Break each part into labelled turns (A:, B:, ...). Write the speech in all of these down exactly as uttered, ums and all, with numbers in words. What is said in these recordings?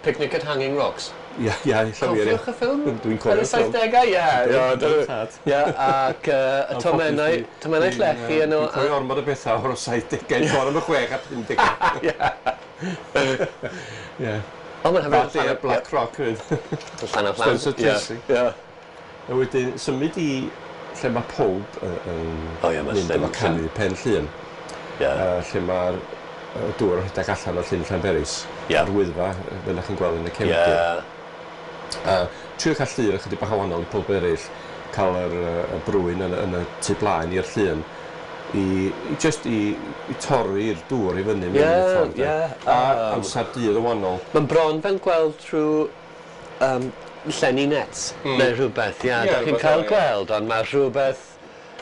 A: Picnic at Hanging Rocks.
B: Ia, ia, ella wir.
A: Cofiwch y ffilm?
B: Dwi'n cofio'r
A: Yn y saithdegau, ie. Ie, ac y tomennau, tomennau llechi yn o...
B: Dwi'n cofio ormod o bethau o'r saithdegau, sôn am y chwech a pumdegau.
A: Ie.
B: Ie.
A: O, mae'n hyfryd.
B: Bad Day at Black Rock hefyd.
A: Llan o Llan.
B: Spencer Tracy.
A: Ie.
B: A wedyn, symud i lle mae pawb yn mynd efo canu Pen Llŷn.
A: Ie.
B: Lle mae'r dŵr yn rhedeg allan o Llyn Llanberis.
A: Ie.
B: A'r Wyddfa, fel ydych chi'n gweld yn y cefndir.
A: Ie.
B: A trio cael llun ychydig bach o wahanol i pawb eraill, cael yr, y brwyn yn, yn y tu blaen i'r llun, i, i just i, i torri'r dŵr i fyny mewn
A: yeah,
B: ffordd.
A: Ie, yeah.
B: A um, amser dydd yn wahanol.
A: Mae'n bron fel gweld trwy um, llenni nets mm. neu rhywbeth, ie. Yeah, yeah, da chi'n cael gweld, ond mae rhywbeth,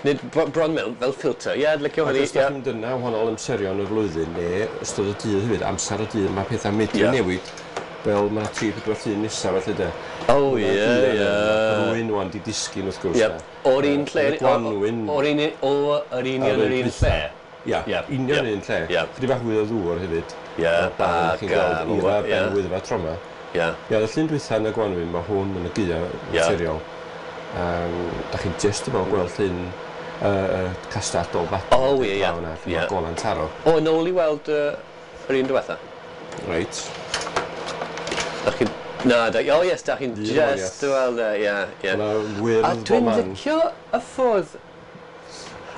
A: nid bron mewn fel filter, ie, yeah, licio hynny.
B: Ac os da chi'n mynd yna wahanol amserion y flwyddyn, neu ystod y dydd hefyd, amser y dydd, mae pethau medru yeah. newid. Fel mae tri pedwar llun nesaf felly de.
A: O ie, ie.
B: Rwy'n wan di disgyn wrth gwrs.
A: Ie. O'r un lle.
B: Gwanwyn.
A: O'r un o yr union yr un lle.
B: Ie, union un lle. Chydig bach fwy o ddŵr hefyd.
A: Ie.
B: Ac chi'n gweld eira ben Wyddfa tro 'ma.
A: Ie.
B: Ie, y llun dwytha yn y gwanwyn, mae hwn yn y gaea naturiol. Um, da chi'n just about gweld llun uh, castell Dolbadarn.
A: O ie, ie.
B: Lle mae golan taro.
A: O, yn ôl i weld yr un diwetha.
B: Reit.
A: Da chi'n... Na, da, oh yes, da chi'n just weld e, ie, ie.
B: A
A: A dwi'n licio y ffordd...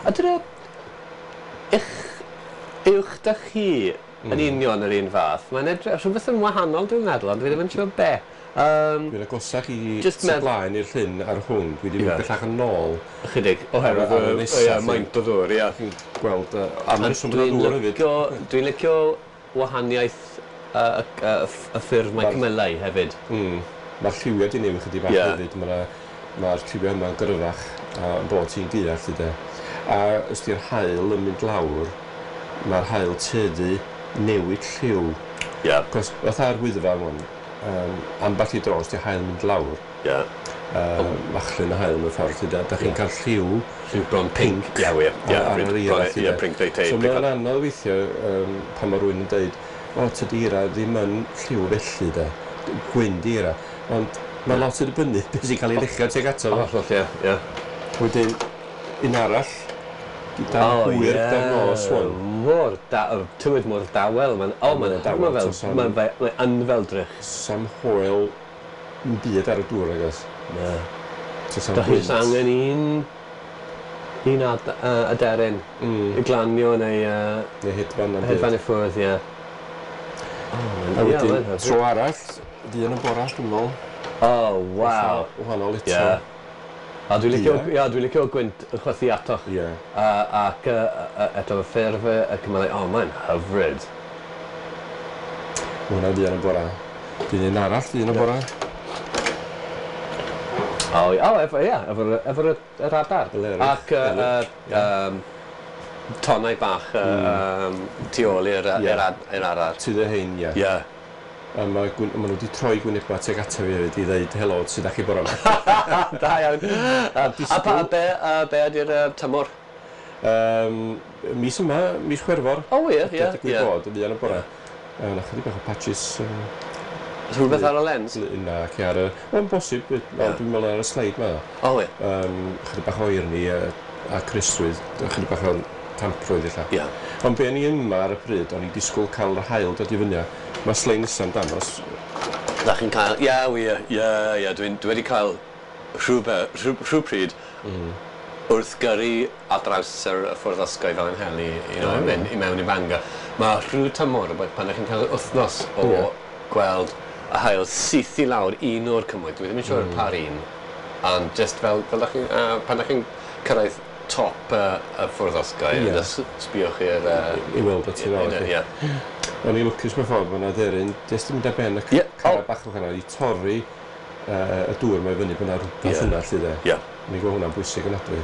A: A dyna... Eich... Uwch da chi yn union yr un fath. Mae'n edrych... Rhywbeth yn wahanol dwi'n meddwl, ond dwi ddim yn siŵr be. Um,
B: dwi'n agosach i tu blaen i'r llyn ar hwn. Dwi wedi mynd bellach yn ôl.
A: Ychydig, oherwydd y maint o ddŵr, ie.
B: Chi'n gweld... A mae'n symud o ddŵr hefyd.
A: Dwi'n licio wahaniaeth y, y, y ffurf mae cymylau hefyd.
B: Mm. Mae'r lliwiau di newid chydig bach
A: yeah.
B: hefyd. Mae'r ma lliwiau yma'n gryfach yn bod ti'n gaea lly de. A os di'r haul yn mynd lawr, mae'r haul tueddu newid lliw.
A: Yeah.
B: Cos fatha'r Wyddfa wan, um, ambell i dro os di'r haul yn mynd lawr,
A: yeah.
B: um, machlun y haul mewn ffordd lly de. Da chi'n
A: yeah.
B: cael lliw
A: lliw bron pink. Ie, yeah, ie.
B: Ar yr eira lly de.
A: Yeah,
B: so mae'n anodd weithio um, pan mae rhywun yn dweud o, tydi eira ddim yn lliw felly de, gwyn di eira, ond mae lot yn dibynnu beth sy'n cael ei luchio tuag ato fo.
A: Hollol, ie, ie.
B: Wedyn, un arall, gyda hwyr gyda'r nos wan.
A: Mor da, tywydd mor dawel, mae'n, o, mae'n dawel, mae'n mae yn fel drych.
B: Sam hoel yn byd ar y dŵr, agos.
A: Na. Da chi'n angen un, un ad, uh, aderyn mm. i glanio neu... Uh,
B: neu hedfan.
A: Hedfan i ffwrdd, ie.
B: Oh, a wedyn, tro arall, dyn y bora, dwi'n meddwl.
A: Oh, waw.
B: Wahanol eto.
A: Yeah. A dwi'n licio, yeah, dwi'n licio gwynt yn chwythu atoch.
B: Yeah.
A: Uh, ac uh, eto y ffurf y cymylau, oh, mae'n hyfryd.
B: Mae hwnna dyn y bora. Dyn un arall, dyn y bora.
A: O, oh, efo, ie, efo'r efo yr adar. Ac uh, uh, um, tonnau bach mm. um, tu ôl i'r yeah. adar.
B: Tu dy hein, ie.
A: Yeah.
B: A mae ma nhw wedi troi gwynebau tuag ato fi hefyd i ddeud helo, sut ydach chi bore yma.
A: Da iawn. A, a pa, be, a be ydy'r uh, tymor?
B: Um, mis yma, mis Chwefror.
A: O ie, ie.
B: Digwydd bod, yn fuan y bore. Uh, na chydig bach o patches. Um,
A: Oes rhywbeth ar y lens?
B: Na, ac ar y... Mae'n bosib, yeah. Dwi'n meddwl ar y sleid ma.
A: O ie.
B: Um, chydig bach o oerni a, a cristrwydd, chydig bach o tamprwydd ella.
A: Yeah.
B: Ond be o'n i yma ar y pryd, o'n i disgwyl cael yr haul dod i fyny. Mae sleid nesa'n dangos.
A: Da chi'n cael, ie, wir, ie, ie, dwi'n dwi wedi cael rhywbeth, rhywbryd mm. wrth gyrru ar draws yr ffordd osgoi fel yn heli, you know, oh, yeah. i mewn i Bangor. Mae rhyw tymor, pan ydych chi'n cael wythnos o
B: yeah.
A: gweld y haul syth i lawr un o'r cymoedd, dwi ddim yn siŵr mm. par un, ond just fel, fel ydych chi'n, uh, pan ydych chi'n cyrraedd top uh, y ffordd osgoi,
B: yeah.
A: sbïoch i'r... Uh,
B: I weld o ti lawr.
A: Ie.
B: O'n i'n lwcus mewn ffordd, mae yna dderyn, jyst yn mynd ar ben y
A: yeah.
B: cara oh. bach o hwnna, i torri uh, y dŵr mae fyny, bod yna rhywbeth
A: yeah.
B: yna, lly de.
A: Yeah.
B: O'n i'n gweld hwnna'n bwysig yn adwy.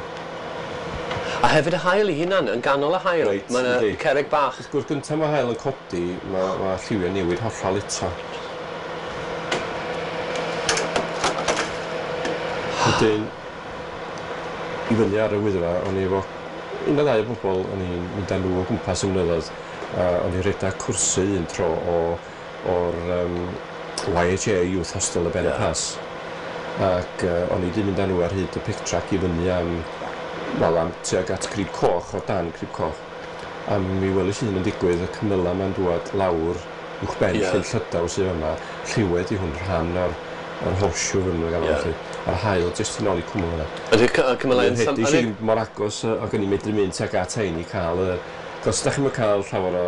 A: A hefyd y haul i hunan, yn ganol y haul,
B: right,
A: mae yna cerrig bach.
B: Wrth gwrs, gyntaf mae haul yn codi, mae, mae lliwiau newid hollol eto. Wedyn, i fyny ar y Wyddfa, o'n i efo un o ddau o bobl, o'n i'n mynd â nhw o gwmpas y mynyddoedd, a o'n i'n rhedeg cwrsau un tro o, o'r um, Y H A Youth Hostel y Ben y
A: yeah.
B: Pass. Ac uh, o'n i wedi mynd â nhw ar hyd y pick track i fyny am, wel, am tuag at Crib Coch, o dan Crib Coch. A mi welis i hyn yn digwydd, y cymylau ma'n dŵad lawr uwchben
A: yeah.
B: Llyn Llydaw sydd yma. Lliwed i hwn rhan o'r, o'r horseshoe fyny nhw'n gael
A: yeah.
B: A'r haul jyst yn ôl i cwmwl yna.
A: Ydy'r cymylau yn...
B: Hedi sy'n mor agos ac o'n i'n medru mynd tuag at hein i cael y... Cos da chi'n cael llawer o,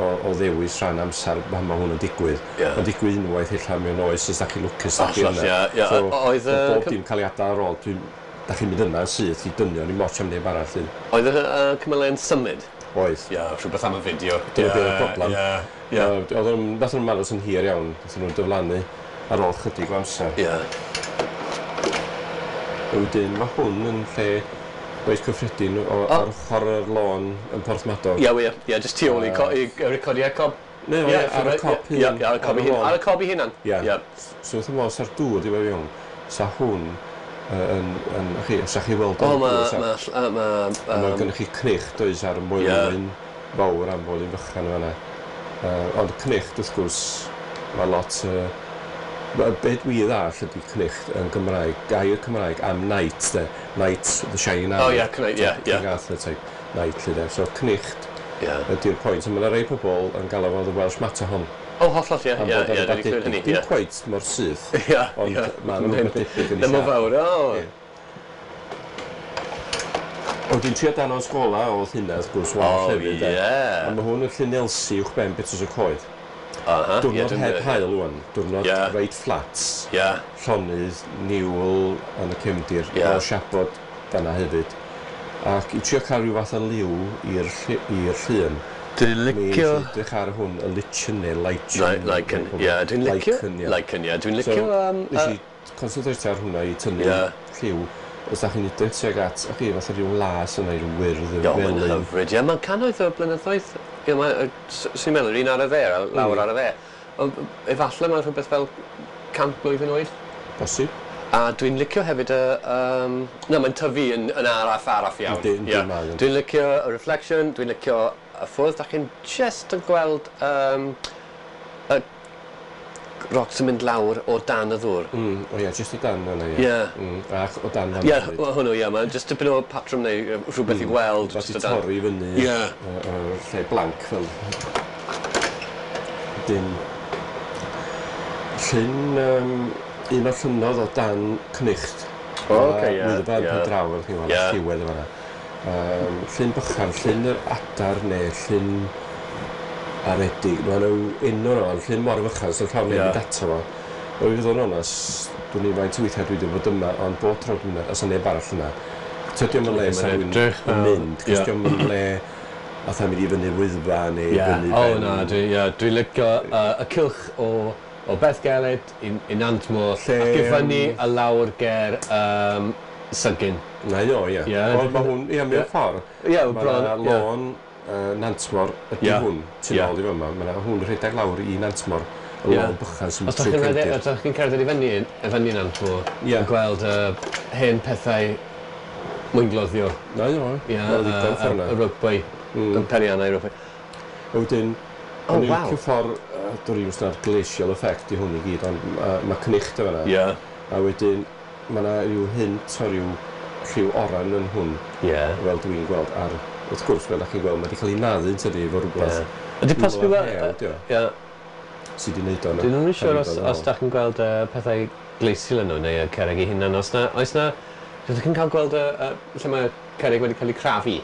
B: o, o ddewis rhan amser pan mae hwn yn digwydd.
A: Yeah.
B: Mae'n digwydd unwaith ella mewn oes os da chi'n lwcus da chi
A: yna.
B: Yeah,
A: yeah.
B: So,
A: oedd y...
B: Bob dim cael ei adael ar ôl, dwi'n... Da chi'n mynd yna yn syth i dynio, ni'n moch am neb arall.
A: Oedd y uh, cymylau yn symud?
B: Oedd.
A: Ie, yeah, rhywbeth am y fideo.
B: Dyna beth oedd y broblem.
A: Ie, ie.
B: Oedd nhw'n nath nhw'n aros yn hir iawn, nath nhw'n diflannu ar ôl chydig o amser.
A: Ie.
B: Wedyn, mae hwn yn lle reit cyffredin o, oh. ar ochr yr lôn yn Porthmadog.
A: Ie, wir. Ie, jyst tu ôl i, uh, i recordiau cob.
B: Ne,
A: yeah,
B: ar y cop hun.
A: Ie, ar y cob i hun. Ar y cob i hunan.
B: Ie.
A: Ie.
B: So wrth y modd, sa'r dŵr di fe fewn, sa hwn yn, yn, chi, sa chi weld
A: o'n dŵr. O, ma, ma, ma,
B: ma, mae gennych chi cnych, does, ar y moelwyn fawr am fod yn fychan fan'na. Uh, ond cnicht, wrth gwrs, mae lot... Uh, be dwi ddall ydy cnicht yn Gymraeg, gair Cymraeg am knight, de. Knight, the shining armor.
A: Oh, yeah, knight, yeah, yeah.
B: King Arthur type knight, lle, de. So cnicht
A: yeah.
B: ydy'r pwynt. A mae yna rei pobl yn galw fo the Welsh Matterhorn.
A: Oh, hollol, ie, ie, ie, dwi wedi clywed hynny, ie.
B: Dim quite mor syth,
A: ie,
B: ond mae'n rhywbeth debyg yn ei
A: Ddim mor fawr, o.
B: O, dwi'n trio danos gola oedd hynna, wrth gwrs, wal hefyd.
A: O, ie.
B: A mae hwn yn Llyn Elsi uwchben Betws y Coed.
A: Uh-huh.
B: Diwrnod
A: yeah,
B: heb haul ŵan, diwrnod
A: yeah.
B: reit fflat,
A: yeah.
B: llonydd, niwl yn y cefndir,
A: yeah.
B: o siabod fan'na hefyd. Ac i trio cael rhyw fath o liw i'r llun.
A: Dwi'n licio...
B: Mi edrych ar hwn, y lichen neu lichen.
A: Lichen, ie, dwi'n licio. Lichen, ie, dwi'n licio...
B: So, nes i concentrate ar hwnna i tynnu
A: yeah.
B: lliw. Os da chi'n edrych tuag at, o chi, fatha rhyw las yna, rhyw wyrdd,
A: rhyw felyn. Ie, mae'n hyfryd, ie, mae'n cannoedd o blynyddoedd. Ie, mae, swn i'n meddwl, un ar y dde, lawr mm. ar y dde. Ond efallai mae'n rhywbeth fel cant blwyddyn oed.
B: Bosib.
A: A dwi'n licio hefyd y... Um, na, mae'n tyfu yn, yn araf, araf iawn.
B: Yndi, yndi,
A: yeah.
B: mae.
A: Dwi'n licio y reflection, dwi'n licio y ffwrdd. Da chi'n just yn gweld um, y rocks yn mynd lawr o dan y ddŵr.
B: Mm, o ie, jyst o dan yna, ie.
A: Ie.
B: Mm, ac o dan fan
A: Ie, hwnnw, ie, mae'n jyst tipyn o patrwm neu rhywbeth mm, i gweld.
B: Rhywbeth i torri fyny
A: ie.
B: Y, y lle blank fel. Dim. Llyn, um, un o'r llynnodd o dan Cnicht.
A: O, oce, ie.
B: Wyddfa yn pen draw, fel chi'n gweld,
A: Ie.
B: lliwedd yn fan'na. Um, llyn bychan, llyn yr adar neu llyn aredig. Mae nhw enw nhw, ond llyn mor fychan, sy'n llawn
A: Ie.
B: yeah. mynd ato fo. O, i fod yn onest, dwi'n i faint o weithiau dwi wedi bod yma, ond bob tro dwi'n mynd, os yna neb arall yna. Tydi o'm yn le sa rhywun yn mynd, cos
A: Ie.
B: dio'm yn le fatha mynd i fyny'r Wyddfa neu
A: Ie.
B: fyny
A: O
B: ben...
A: na, dwi, ie, dwi'n licio uh, y cylch o, o Bethgelert i, i Nantmor
B: Lle,
A: ac i fyny a lawr ger um, Sygyn.
B: Na i o, ie.
A: Ie.
B: Ond mae hwn, ie, mewn ffordd.
A: Ie,
B: Mae
A: bron,
B: yna
A: ie.
B: lôn uh, Nantmor ydy
A: Ie.
B: hwn, tu
A: Ie.
B: ôl i fyma. Mae yna hwn rhedeg lawr i Nantmor, y
A: Ie.
B: lôn bychan sy'n
A: Os dach
B: trwy
A: chi'n rhedeg,
B: cefndir.
A: os dach chi'n cerdded i fyny, i fyny Nantmor,
B: Ie.
A: yn gweld uh, hen pethau mwyngloddio.
B: Na i o,
A: Ie,
B: mae'n ddigon
A: y,
B: ffordd
A: y
B: yna.
A: rygbi, y periannau rygbi.
B: A wedyn,
A: Oh,
B: o'n i'n
A: waw.
B: licio ffordd, uh, dwi'n i'n ystod glacial effect i hwn i gyd, ond uh, mae cnicht o fan'na.
A: Ie.
B: A wedyn, mae yna rhyw hint o ryw lliw oren yn hwn,
A: Ie.
B: fel dwi'n gweld ar... Wrth gwrs, fel ydych chi'n gweld, mae wedi cael ei naddu yn tydi efo rhywbeth
A: Ie. Ydy posib
B: Rhywle
A: i
B: rhew,
A: weld...
B: ydi o,
A: Ie.
B: sydd wedi wneud o yna.
A: Dwi'n ddim yn siŵr os,
B: Rhywbeth
A: os dach chi'n gweld uh, pethau glacial yn nhw neu y cerrig eu hunan. Os na, oes na... Ydych chi'n cael gweld y, y, lle mae cerrig wedi cael eu crafu?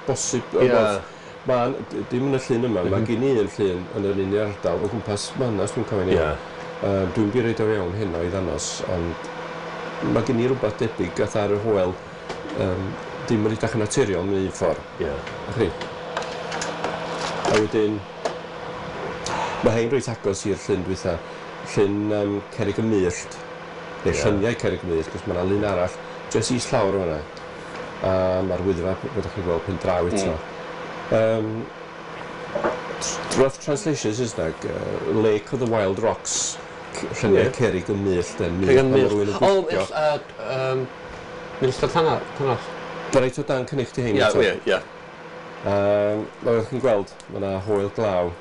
B: Bosib,
A: Ie.
B: yeah. Ma'n, dim yn y llun yma, mae gen i un llun yn yr un ardal o gwmpas Manas, dwi'n cofio'n iawn.
A: Ie.
B: Um, dwi'n bi reid o fewn heno i ddangos, ond mae gen i rhywbeth debyg gath ar y hoel, um, dim yn edrych yn naturiol mewn un ffordd.
A: Ie.
B: A chi? A wedyn, mae hein reit agos i'r llyn dwytha, llyn um, Cerrig y Myllt, neu
A: Ie.
B: lluniau Cerrig y Myllt, cos mae yna lun arall jyst islawr o fan'na. A mae'r Wyddfa, fel ydych chi'n gweld, pen draw eto. Um, rough translation Saesneg, uh, Lake of the Wild Rocks, c- lluniau
A: Ie.
B: Cerrig y Myllt, yn
A: Cerrig y
B: myllt, pan ma' rhywun
A: Myllt.
B: yn
A: O,
B: gwylltio.
A: mill, uh, um, Milltir Tanarth. Tanarth.
B: Mae reit o dan cynnig ti hein
A: Ie,
B: eto.
A: ie, ie.
B: Um, fel ydych chi'n gweld, mae yna hoel glaw.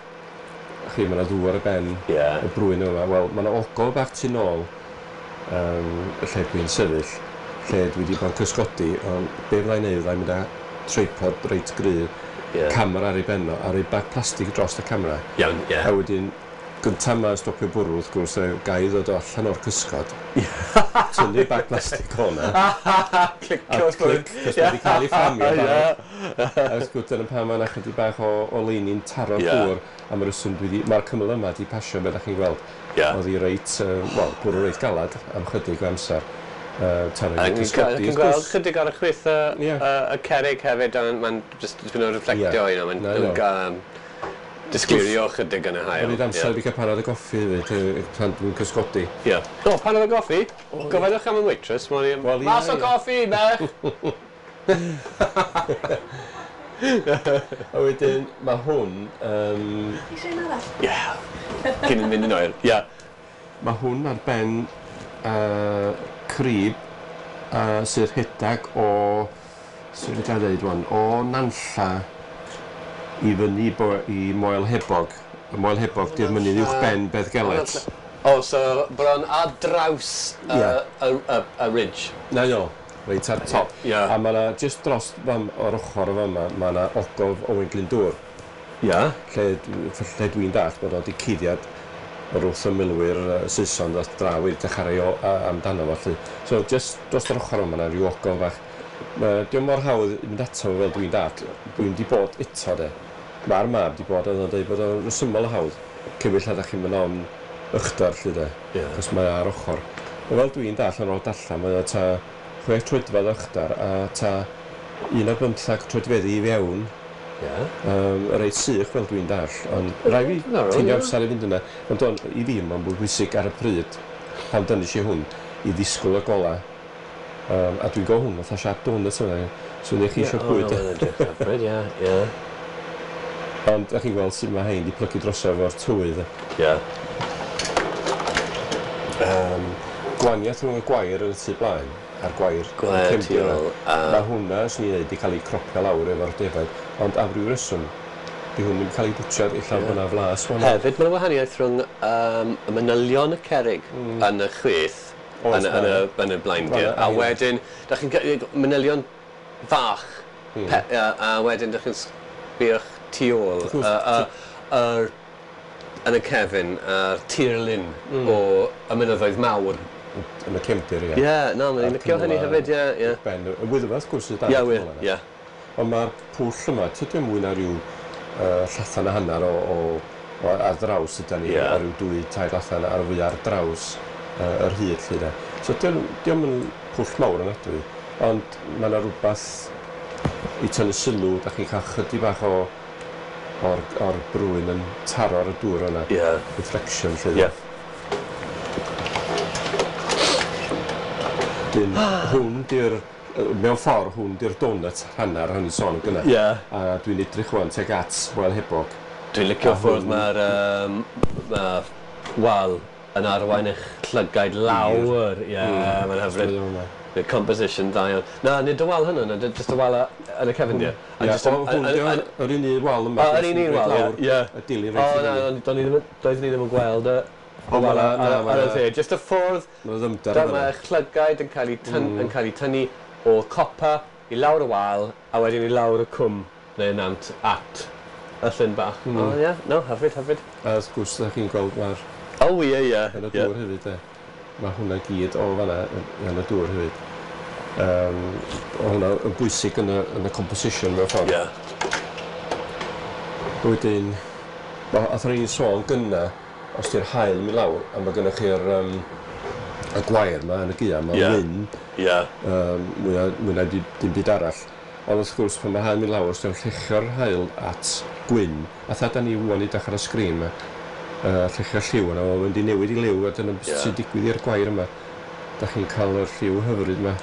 B: Chi, mae yna ddŵr ar y ben
A: yeah.
B: y brwyn yma. Wel, mae yna ogof bach tu nôl um, y lle dwi'n sefyll, lle dwi wedi bod yn cysgodi, ond be fydda i'n neud, fydda i'n mynd â tripod reit gry,
A: yeah.
B: camera ar ei ben o, a rhoi bag plastig dros y camera.
A: Iawn, ie.
B: A wedyn, gyntaf ma'n stopio bwrw, wrth gwrs, ga i ddod o allan o'r cysgod, tynnu bag plastig o'na,
A: Clicio,
B: a clic, cos mae wedi cael ei fframio barod. A wrth gwrs, dyna pam mae yna chydig bach o, o leini'n taro'r
A: yeah.
B: dŵr, a mae'r rheswm dwi wedi, mae'r cymyl yma wedi pasio, fel ydych chi'n gweld.
A: Yeah.
B: Oedd hi reit, uh, wel, bwrw reit galad am chydig o amser. Uh, tan
A: A
B: yn
A: chi'n
B: cysgodi, wrth
A: gweld
B: gwrs.
A: chydig ar y chwith y,
B: Ie.
A: y, y cerrig hefyd, a mae'n just dipyn o reflectio,
B: Ie.
A: you know, mae'n
B: Na, no.
A: um, disgleirio chydig yn y haul.
B: O'n i'n amser i fi cael panad o goffi hefyd, yy, pan dwi'n cysgodi.
A: Ie. O, panad o goffi? Gofynnwch am y waitress, mae'n i...
B: Wel, ie,
A: Mas o
B: ie.
A: goffi, merch!
B: A wedyn, mae hwn, um,
C: Eisiau un arall?
A: Ie. Cyn yn mynd yn oer. Ie.
B: mae hwn ar ben uh, crib uh, sydd rhedeg o, sydd wedi dweud wan, o Nantlla i fyny bo, i Moel Hebog. Y Moel Hebog di'r mynydd uwch ben Beddgelert.
A: O, so bron ar draws y,
B: Ie.
A: y, y, y ridge.
B: Na jo, reit ar top.
A: Ie.
B: A mae yna, just dros fam, o'r ochr o fama, mae yna ogof Owain Glyndŵr.
A: Ie.
B: Lle, lle dwi'n dallt bod o wedi cuddiad o'r wrth y milwyr uh, Saeson ddoth draw i'r dechrau o, a, amdano fo. Lly. So, just dros yr ochr yma, yna rhyw ogof fach. Ma, dio'm mor hawdd i mynd ato fo fel dwi'n dallt. Dwi'n di bod eto de. Mae'r mab di bod, oedd o'n dweud bod o'n resymol o hawdd. Cymryd lle ydych chi'n mynd on uchder lly de.
A: Ie.
B: Cos mae ar ochr. Ond fel dwi'n dallt ar ôl darllen, mae o ta chwech troedfedd o uchder a ta un ar bymthag troedfeddi i fewn.
A: Ie.
B: Um, reit sych fel dwi'n dallt, ond rai fi
A: Diddorol,
B: ffeindio
A: ie.
B: amser i fynd yna. Ond on, i fi mae'n bwy bwysig ar y pryd, pan dynnu i hwn, i ddisgwyl y gola. Um, a dwi'n gweld hwn fatha siap donut yma. So neu chi eisiau bwyd.
A: O, edrych hyfryd, ie, ie.
B: Ond ydych chi'n gweld sut mae hein di plygu drosodd efo'r tywydd.
A: Ie.
B: Um, gwaniaeth rhwng y gwair yn y tu blaen a'r gwair
A: Gwair
B: yn y
A: tu
B: cefndir yna.
A: ôl, a-
B: Mae hwnna, swn i'n dweud, di cael ei cropio lawr efo'r defaid. Ond am ryw reswm, di hwn ddim cael ei bwtsiad, ella
A: Ie.
B: bod yna flas hwnna.
A: Hefyd, mae'n wahaniaeth rhwng um, y manylion y cerrig mm. yn y chwith,
B: Oes,
A: yn, y- yn, y,
B: ma'
A: yn y blaendir,
B: Ma' 'na-
A: a wedyn, da chi'n cael manylion fach, mm. pe, a, a wedyn da chi'n sbio'ch tu ôl,
B: Wrth gwrs,
A: y, y, yr, yn y cefn, a'r tirlun mm. o y mynyddoedd mawr.
B: Yn y cefndir, ie.
A: Ie, yeah, na, mae'n
B: A'r
A: licio hynny
B: cymylau
A: hefyd, ie, ie.
B: Ben, y Wyddfa, wrth gwrs, sydd dan
A: Ie,
B: y
A: wir,
B: cymylau yna.
A: ie.
B: Ond mae'r pwll yma, tydi o mwy na rhyw uh, llathan a hanner o, o, o ar draws yda ni,
A: Ie.
B: a rhyw dwy, tair lathan ar fwy ar draws uh, yr hyd lly de. So dio'm yn pwll mawr ofnadwy, ond mae yna rhywbeth i tynnu sylw, da chi'n cael chydig bach o o'r, or brwyn yn taro ar y dŵr yna.
A: Ie.
B: Reflection lly.
A: Ie.
B: Dyn, hwn di'r, yy, mewn ffordd, hwn di'r donut hanner hynny sôn gyna.
A: Ie.
B: A dwi'n edrych wan tuag at Moel Hebog.
A: Dwi'n licio
B: A
A: ffordd
B: hwn-
A: mae'r um, ma wal yn arwain eich llygaid lawr. Ie, yeah, mae'n hyfryd.
B: Mm.
A: The composition dda iawn. Na, nid y wal hynny, na, just y wal a- yn y cefndir. A
B: Ie,
A: jyst
B: o, hwn
A: yn-
B: dio,
A: yn-
B: yr un un wal yma.
A: O, yr un un wal, ie, ie.
B: Y dilyn
A: O,
B: reit i
A: na,
B: fyny.
A: o'n- do'n i ddim yn- doeddwn i ddim yn gweld y
B: O, ma'
A: wal
B: 'na-
A: ar
B: na, ma'
A: ar y
B: 'na-
A: dde. Just y ffordd
B: Mae'n ddymder
A: dyma
B: yna.
A: eich llygaid yn cael eu tyn, yn cael eu tynnu o copa i lawr y wal a wedyn i lawr y cwm neu nant at y llyn bach. Mm. O, ie, no, hyfryd, hyfryd.
B: A wrth gwrs, ydych chi'n gweld mae'r
A: O, ie, ie.
B: yn y
A: ie.
B: dŵr hefyd, e. Mae hwnna gyd o fanna yn yn y dŵr hefyd. Um, o hwnna yn bwysig yn y, yn y composition mewn ffordd.
A: Ie.
B: Wedyn, ma- athon ni'n sôn gynna, os di'r haul yn mynd lawr, a mae gennych chi'r um, y gwair yma yn y gaea, mae'n
A: Ie.
B: wyn,
A: Ie.
B: um, mwy na, mwy na di- dim byd arall. Ond wrth gwrs, pan mae haul yn mynd lawr, os di'n llechio'r haul at gwyn, a tha da ni ŵan i dechrau ar y sgrin yma, uh, llechio'r lliw yna, mae'n mynd i newid i liw, a dyna beth
A: Ie.
B: sy'n digwydd i'r gwair yma. Da chi'n cael yr lliw hyfryd yma.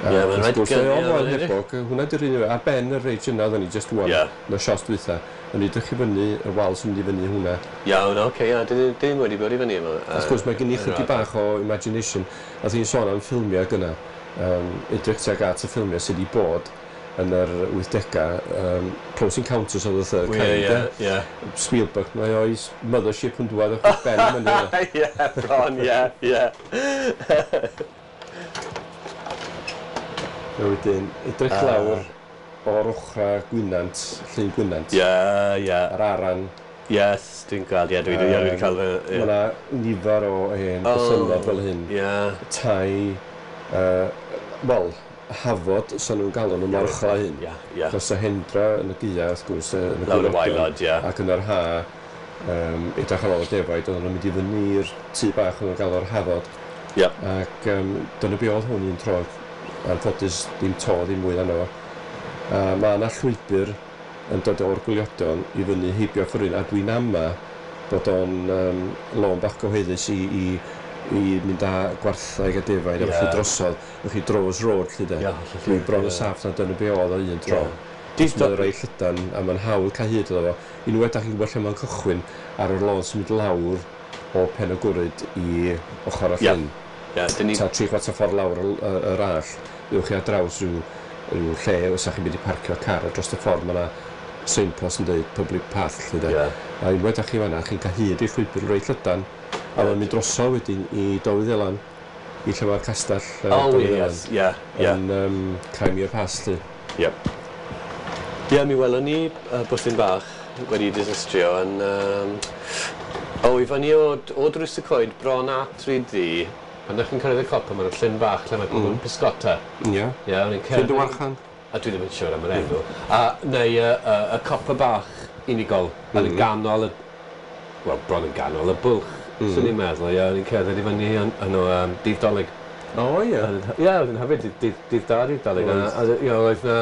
B: A
A: Ie, ma'n
B: wrth
A: rhaid
B: gwrs,
A: gan-
B: mae
A: ie,
B: o'n
A: ma'n
B: Moel
A: edrych.
B: Hebog, hwnna di'r un, ar ben y reid yna oedden ni just ŵan,
A: Ie.
B: yn y sios dwytha. O'n i edrych i fyny, y wal sy'n mynd i fyny hwnna.
A: Iawn, oce, ie, dyn ddim wedi bod i fyny yma.
B: Wrth gwrs, mae gen i chydig bach o imagination. A ti'n sôn am ffilmiau gyna. Um, edrych tuag at y ffilmiau sydd wedi bod. yn yr wythdegau, um, Close Encounters of the Third Kind.
A: Yeah, yeah.
B: Spielberg, mae o'i mothership yn dwad o'ch ben yn mynydd.
A: Ie, bron, ie, ie.
B: Wedyn, edrych lawr o'r ochra Gwynant, Llyn Gwynant.
A: Ie, ie.
B: Ar Aran.
A: Yes, dwi'n gweld, ie, dwi'n wedi cael...
B: Mae yna nifer o hen bythynnod fel hyn.
A: Ie.
B: Tai, wel, hafod, so nhw'n galw nhw mor uchel â hyn.
A: Ie, ie.
B: Achos y hendra yn y gaea, wrth gwrs, yn y
A: lawr y waelod, ie.
B: Ac yn yr ha, um, edrych ar ôl y defaid, oedden nhw'n mynd i fyny i'r tŷ bach o'n nhw'n galw'r hafod.
A: Ie.
B: Ac um, dyna be oedd hwn un tro, anffodus, ddim to, ddim mwy arno fo. Uh, mae yna llwybr yn dod o'r gwyliodan i fyny heibio Fforwyn, a dwi'n ama bod o'n um, lôn bach gyhoeddus i, i i mynd â gwartheg a defaid, yeah. A felly drosodd, felly Droves Road, lle de.
A: Yeah,
B: Dwi'n bron y saff na dyna be oedd o un tro.
A: Yeah.
B: Mae'n rei llydan, a mae'n hawdd cael hyd iddo fo. Unwaith dach chi'n gwybod lle mae'n cychwyn ar yr lôn sy'n mynd lawr o Pen y Gwryd i ochr y llyn.
A: Yeah. Yeah, ni...
B: Ta tri chwarter ffordd lawr yr all, ewch chi ar draws rhyw, rhyw lle, os ydych chi'n mynd i parcio car a dros y ffordd, mae yna signpost yn dweud public path, lle de.
A: Yeah.
B: A unwaith dach chi fan'na, chi'n cael hyd i'r llwybr reit llydan, a mae'n mynd drosodd wedyn i Dolwyddelan, i lle mae'r castell uh,
A: oh,
B: Dolwyddelan.
A: Yes, yeah, yeah.
B: Yn um, Crimea Pass, lle.
A: Yep. Ie, yeah, mi welon ni uh, bwthyn bach wedi disastrio yn... Um, o, i fyny o, o Drws y Coed, bron at Rhyd Ddu, pan ddech chi'n cyrraedd y copa, mae'n llyn bach lle mae pobl yn mm. pysgota.
B: Ie. Yeah.
A: Yeah, o'n i'n cerdded...
B: Llyn Dywarchan?
A: A dwi ddim yn siŵr am yr enw. A, neu y, y, y copa bach unigol, mm. yn y ganol, y, wel, bron yn ganol y bwlch. Mm. Swn i'n meddwl, ie, o'n i'n cerdded i fyny yn o um, dydd Dolig.
B: O, ie.
A: Ie, oedd yn hyfryd, dydd, dydd da, dydd Dolig. A, a, ie, oedd na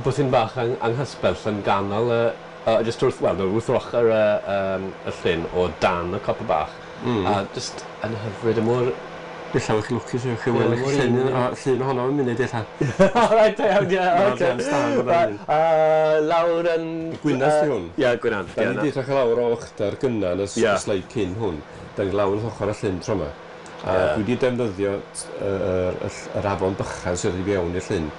A: bwthyn bach ang, anghysbell yn ganol, y, uh, just wrth, wel, no, wrth ochr y, um, y llyn o dan y copa bach.
B: Mm.
A: A just yn hyfryd, y mor...
B: Ella o'ch chi lwcus, o'ch chi weld eich llun, llun ohono yn munud ella.
A: Reit, iawn, ie, oce. Lawr yn...
B: Gwynant di hwn?
A: Ie, Gwynant.
B: Da ni wedi edrych lawr o uchder gynna yn y sleid cyn hwn. Da ni lawr wrth ochr y llyn tro yma. A dwi wedi defnyddio yr afon bychan sydd wedi fewn i'r llyn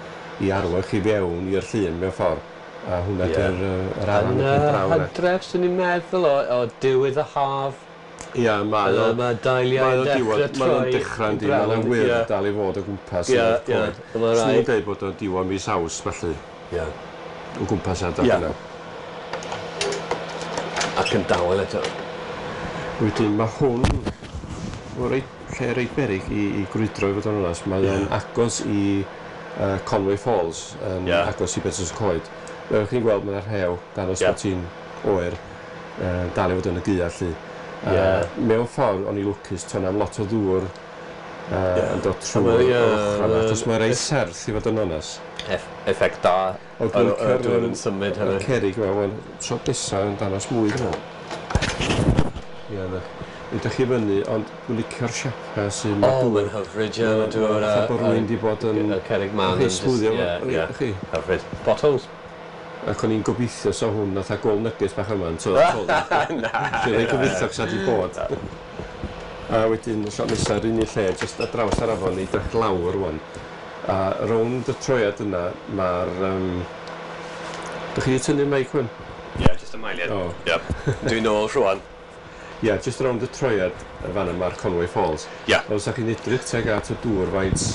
B: i arwain chi fewn i'r llyn mewn ffordd. A hwnna di'r yr afon yn draw yna.
A: Yn hydref, swn i'n meddwl o diwedd y haf.
B: Ia, mae o...
A: Mae dailiau'n dechrau troi.
B: Mae o'n dechrau yn di, mae'n wyrdd dal i fod o gwmpas.
A: Ie, ie.
B: Swn i'n dweud bod o'n diwedd mis Awst, felly.
A: Ie.
B: O gwmpas adag yna.
A: Ac yn dawel eto.
B: Wedyn, mae hwn o reit, lle reit beryg i, i grwydro i fod yn onast. Mae o'n agos i uh, Conway Falls, yn
A: yeah.
B: agos i Betws y Coed. Fel chi'n gweld, mae'n rhew, danos
A: yeah.
B: bod ti'n oer, uh, dal i fod yn y gaea, lly.
A: Yeah.
B: Uh, mewn ffordd, o'n i lwcus, to'n am lot o ddŵr uh,
A: yeah.
B: yn dod trwy'r
A: yeah,
B: ochr yna, achos mae'n reit serth i fod yn onest.
A: Eff effect da,
B: O,
A: y dŵr yn symud
B: Y
A: hefyd.
B: cerrig yma, wel, tro nesa yn danos mwy dwi'n meddwl. Ie, na. Ydych chi fyny, ond dwi'n licio'r siapa sy'n...
A: O, mae'n hyfryd, ie, mae dŵr...
B: Fatha bod rhywun di bod yn...
A: Y cerrig man
B: Chi smwddio,
A: ie, ie.
B: chi.
A: Hyfryd. Potholes.
B: Ac o'n i'n gobeithio so hwn fatha gold nuggets bach yma yn tod.
A: Na.
B: Dwi'n ei gobeithio sa di bod. A wedyn, y shot nesaf, yr unig lle, jyst ar draws yr afon, i edrych lawr rwan. A rownd y troiad yna, mae'r... Um... Dych chi wedi tynnu mic hwn?
A: Ie, jyst y mailiad.
B: O.
A: Ie. Dwi'n ôl rwan.
B: Ie, yeah, jyst rownd y troiad y fan yma, mae'r Conway Falls.
A: Ie.
B: Os ydych chi'n edrych tuag at y dŵr, faint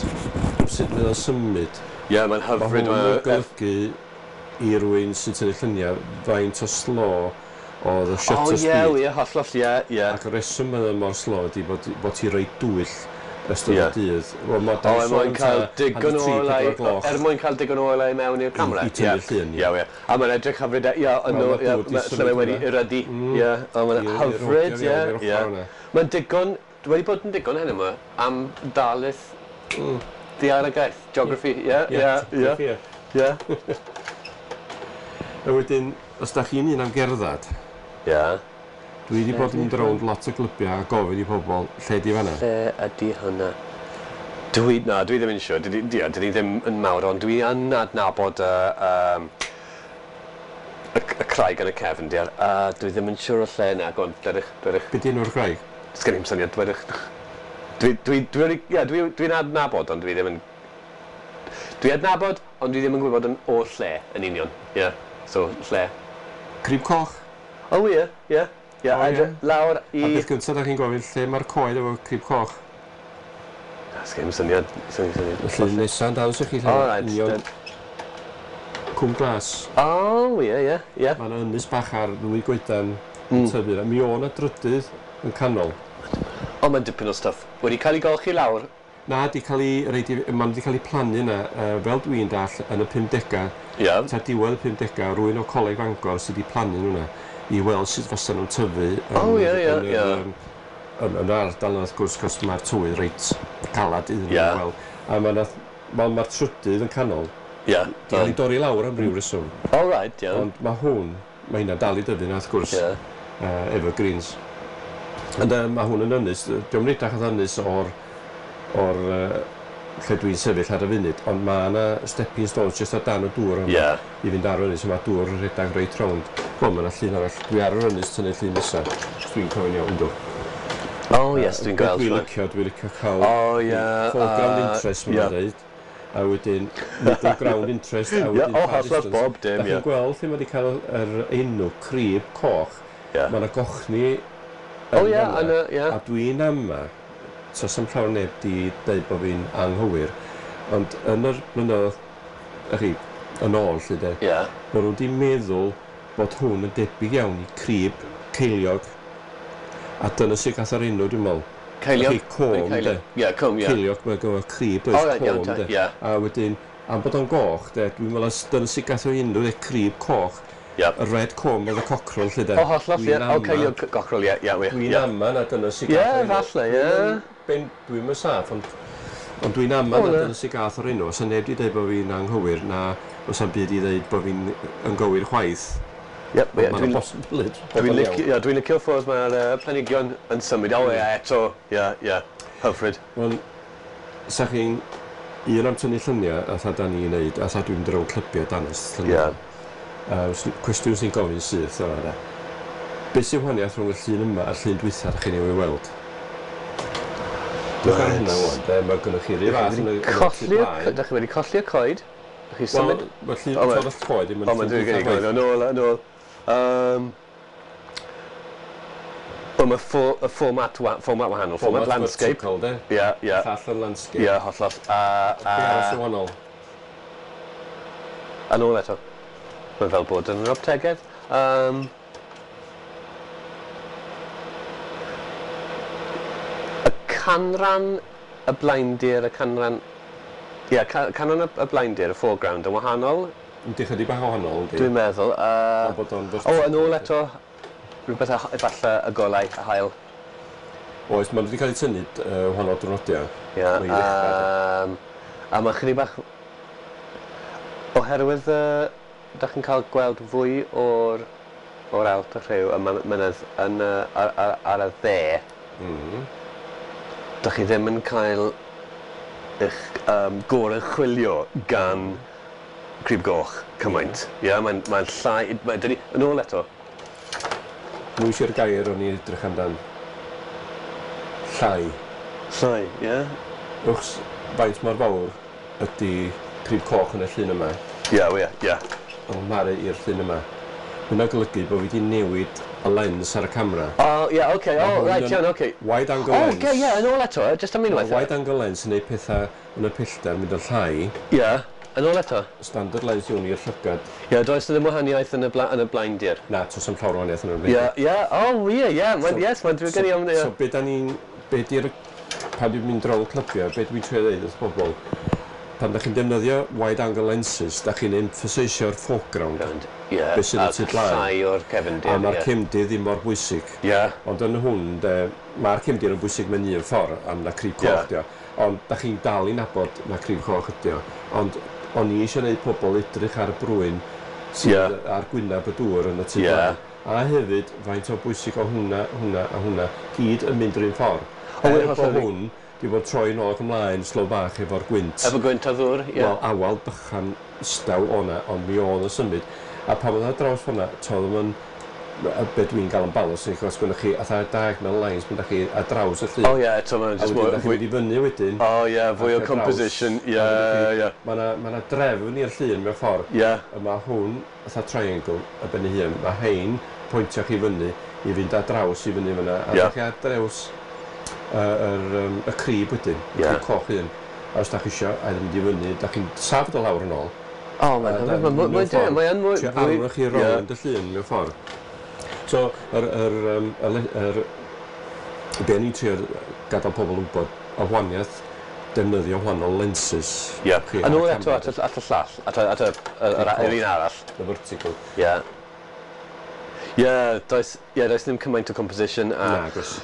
B: sut mae o'n symud.
A: Ie, mae'n
B: Mae
A: hyfryd.
B: hwn yn golygu i rywun sy'n tynnu lluniau faint o slo oedd y shutter
A: O, ie,
B: speed.
A: ie, hollol, ie, ie.
B: Ac y reswm mae o mor slo ydy bod, bod ti reit dwyll ystod
A: Ie.
B: y dydd. Wel, mae
A: O, er mwyn cael digon o olau,
B: gloch.
A: er mwyn cael digon o olau mewn i'r camera.
B: I- i tynnu llun,
A: ie. Ie, ie. A mae'n edrych hyfryd, ie, yn
B: Wel,
A: o,
B: ma'
A: ie,
B: dŵr 'di
A: ma' lle
B: symud
A: mae wedi
B: yna.
A: erydu, ie, o, mae'n
B: I- i
A: hyfryd,
B: rodio
A: ie,
B: fewn i'r
A: ie.
B: ochr yna.
A: Mae'n digon, wedi bod yn digon hyn yma, am darlith daearagaeth, geography, ie, ie, ie, ie.
B: A wedyn, os da chi'n un am gerdded,
A: Ie.
B: dwi wedi bod yn mynd rownd lot o glybiau a gofyn i pobl lle di fan'na.
A: Lle ydy hwnna? Dwi, na, dwi ddim yn siŵr. Dwi, dwi, dwi ddim yn mawr, ond dwi yn adnabod y, um, y, y craig yn y cefndir. A dwi ddim yn siŵr o lle na. Go on, dwedwch, dwedwch.
B: Be di enw'r graig?
A: Sgen i'm syniad, dwedwch. Dwi, dwi, dwi, dwi, ie, dwi, dwi'n adnabod, ond dwi ddim yn... Dwi adnabod ond dwi ddim yn gwybod yn o lle yn union. Ie, yeah. So lle.
B: Crib Coch.
A: O ie, ie. Ie,
B: O, ie.
A: lawr i...
B: A beth gyntaf da chi'n gofyn, lle mae'r coed efo Crib Coch?
A: Sgen i'm syniad, sgen i'm syniad.
B: Felly nesa'n dawns i chi lle.
A: O, reit.
B: Union Cwm Glas.
A: O, ie, ie, ie.
B: Mae yna ynys bach ar ddwy goedan yn tyfu. Mi o' 'na drydydd yn canol.
A: O, mae'n dipyn o stuff. Wedi cael ei golchi lawr.
B: Na, di cael ei, reid i, ma'n di cael ei plannu yna, uh, fel dwi'n dall, yn y pumdegau.
A: Ie.
B: Ta diwedd y pumdegau, rhywun o Coleg Fangor sydd wedi plannu nhw yna i weld sut fysa nhw'n tyfu yn,
A: O, ie, ie,
B: yn, yr,
A: ie.
B: yym, yn, yn yr ardal yna, wrth gwrs, cos mae'r tywydd reit galad iddyn nhw
A: Ie.
B: weld. A mae'r ma ma trydydd yn canol,
A: Ie.
B: di cael ei dorri lawr am ryw reswm.
A: All right, iawn.
B: Ond mae hwn, mae hynna dal i dyfu na, wrth gwrs,
A: Ie.
B: uh, evergreens. Ond uh, mae hwn yn ynys, diolch yn edrych oedd ynys o'r, o'r uh, lle dwi'n sefyll ar y funud, ond mae yna stepping stones jyst ar dan y dŵr yma
A: Ie.
B: i fynd ar yr ynys, a mae dŵr yn rhedeg reit rownd. Wel, mae yna llun arall, dwi ar yr ynys tynnu llun nesaf, os dwi'n cofio'n iawn, yndw.
A: O, yes, dwi'n gweld.
B: Dwi'n
A: rwan.
B: licio, dwi'n licio cael
A: O, ie.
B: foreground
A: yy,
B: interest,
A: ie.
B: mae'n dweud. A wedyn middle ground interest, a
A: Ie,
B: wedyn
A: o,
B: far
A: hollol
B: distance.
A: bob dim,
B: Da chi'n
A: ie.
B: gweld lle mae wedi cael yr enw Crib Coch.
A: Ie.
B: Mae yna gochni
A: O,
B: yn
A: ie,
B: fan'na.
A: yn y- ie.
B: A dwi'n ama, so sam llawer neb di dweud bod fi'n anghywir, ond yn yr blynyddoedd, y chi, yn ôl, lle de,
A: Ie.
B: ma' nhw wedi meddwl bod hwn yn debyg iawn i crib ceiliog. A dyna sy'n gath yr enw, dwi'n meddwl.
A: Ceiliog?
B: Felly, comb, de.
A: Ie, comb, ie.
B: Ceiliog, mae'n gyfer crib, does,
A: O, reit, iawn,
B: comb,
A: ta,
B: de.
A: ie.
B: A wedyn, am bod o'n goch, de, dwi'n meddwl dyna sy'n gath o'r enw, de, crib coch.
A: Ie.
B: Y red comb oedd y cockrel, lle, de.
A: O, hollol, ie.
B: Dwi'n
A: O,
B: ama-
A: ceiliog gochrol, ie, ie,
B: Dwi'n
A: ie.
B: ama na dyna sy'n
A: Ie,
B: gath o'r enw.
A: falle, ie.
B: Dwi'n yn ben- Dwi'm yn saff, ond ond dwi'n ama
A: O,
B: na
A: na.
B: dyna sy'n gath o'r enw. Os yna neb di dweud bod fi'n anghywir, na os am byd i dweud bod fi'n yn gywir chwaith.
A: Ie, ie,
B: Mae'n
A: dwi'n...
B: bosibility bod
A: Dwi'n
B: o'n
A: licio,
B: iawn.
A: ie, dwi'n licio ffordd mae'r uh, planhigion yn symud. O, ie, eto, ie, ie, hyfryd.
B: Wel, sa chi'n un am tynnu lluniau, a tha da ni'n neud, a tha dwi'n mynd rownd clybiau danos lluniau.
A: Ie.
B: Uh, cwestiwn sy'n gofyn syth yma, de. Be sy'n wahaniaeth rhwng y llun yma a'r llun dwytha ydych chi'n ei weld? Dwch ar hynna wan, de, mae gynnoch chi ryw fath yn y- yn y tu
A: Colli'r...
B: blaen.
A: Dach chi wedi colli'r coed? Dach chi
B: Wel,
A: symud?
B: mae'r llun
A: O, ma-
B: torr y coed ddim yn
A: O, mae'n
B: llun
A: dwi'n
B: dwytha
A: gwneud
B: chwaith.
A: yn ôl, yn ôl. Um, Wel, mae ffo, y fformat, wa, fformat wahanol, fformat landscape.
B: vertical, de.
A: Ie, ie,
B: Llall yn landscape.
A: ie, hollol. A,
B: Be arall
A: a,
B: sy'n wahanol?
A: yn ôl eto. Mae'n fel bod yn yr optegedd. Um, y canran y blaendir, y canran... Ie, yeah, ca canran y, y blaendir, y foreground, yn wahanol,
B: Yndi, chydig bach o wahanol, yndi.
A: dwi'n meddwl. Uh,
B: Ond bod o'n
A: o, yn ôl eto, rhywbeth a- efallai y golau, y haul.
B: Oes, maen nhw wedi cael eu tynnu uh, wahanol diwrnodiau.
A: Ie,
B: Mae i ddechrau,
A: um, a mae chydig bach... Oherwydd, uh, da chi'n cael gweld fwy o'r o'r allt y rhyw y my- mynydd yn, uh, ar, ar, ar y dde,
B: Mm.
A: da chi ddim yn cael eich um, goruchwylio gan Crib Goch cymaint. Ie, yeah, mae'n mae llai... Mae, dyn ni, yn ôl eto,
B: Mwy eisiau'r gair o'n i edrych amdan. Llai.
A: llai, ie? Yeah?
B: Wrth faint mor fawr ydy Crib Coch yn y llun yma,
A: Ie, yeah, ie, ie.
B: yn cymharu i'r llun yma. Hwna'n golygu bod fi wedi newid y lens ar y camera.
A: O, ie, oce, o,
B: hwn
A: right,
B: yn
A: iawn, oce.
B: Wide angle
A: O,
B: lens.
A: oce, ie, yn ôl eto, jyst am
B: Mae
A: unwaith.
B: wide angle lens yn neud pethau yn y pellter mynd yn llai.
A: Ie, yn ôl eto.
B: Standard lens yw'n i'r llygad.
A: Ie, does 'na ddim wahaniaeth yn y, bla, yn y blaendir.
B: Na, tos am llawer o wahaniaeth yn yr
A: Ie, ie, o, ie, ie, mae'n, yes, mae'n drwy gen i am, ie.
B: So, be da ni'n... Be di'r... Pan dwi'n mynd rownd clybiau, be dwi'n trio ddeud wrth bobl, pan da chi'n defnyddio wide angle lenses, da chi'n emphaseisio'r foreground.
A: Ie,
B: Be sydd y
A: a
B: tu blaen.
A: llai o'r cefndir,
B: A mae'r
A: ie.
B: cefndir ddim mor bwysig.
A: Ie,
B: Ond yn hwn, de, mae'r cefndir yn bwysig mewn un ffordd, am na crib coch
A: Ie.
B: dio. Ond da chi'n dal i nabod na crib coch ydi o. Ond o'n i eisiau gwneud pobl edrych ar y brwyn sydd
A: Ie.
B: ar gwyneb y dŵr yn y tu
A: Ie.
B: blaen. A hefyd, faint o bwysig o hwnna, hwnna a hwnna, gyd yn mynd yr un ffordd.
A: O,
B: Er
A: ie,
B: bod
A: hollol.
B: hwn, di bod troi nôl ac ymlaen, slow bach efo'r gwynt.
A: efo gwynt a ddŵr, ie.
B: Wel, awal bychan staw o'na, ond mi oedd yn symud. A pan oedd ar draws hwnna, toedd o'n Be dwi'n gael yn balance, achos gwynnych chi atha diagonal lines, mynd chi ar draws y llun.
A: O ie, eto mae'n
B: just mwy... A wedyn, chi'n mynd i fyny wedyn.
A: O ie, fwy o composition, ie, ie.
B: Mae yna drefn i'r llun mewn ffordd.
A: Ie.
B: Mae hwn, atha triangle, y ben ei hun, mae hein pwyntio chi fyny i fynd ar draws i fyny fyna. A chi ar draws y crib wedyn, y crib coch un. A os da chi isio, a mynd i fyny, da chi'n safod o lawr yn ôl.
A: O, mae'n mae'n mwy...
B: Ti'n arwch chi rownd y llun mewn ffordd. So, yr, yr, um, yr, yr, be ni'n trio gadael pobl wybod, y wahaniaeth defnyddio wahanol lenses.
A: Ie. Yeah. A nôl eto at y, at y llall, at y, at y, yr, yr un arall.
B: The vertical.
A: Ie. Yeah. Ie, yeah, does, yeah, does ddim cymaint o composition. A...
B: Na, gwrs.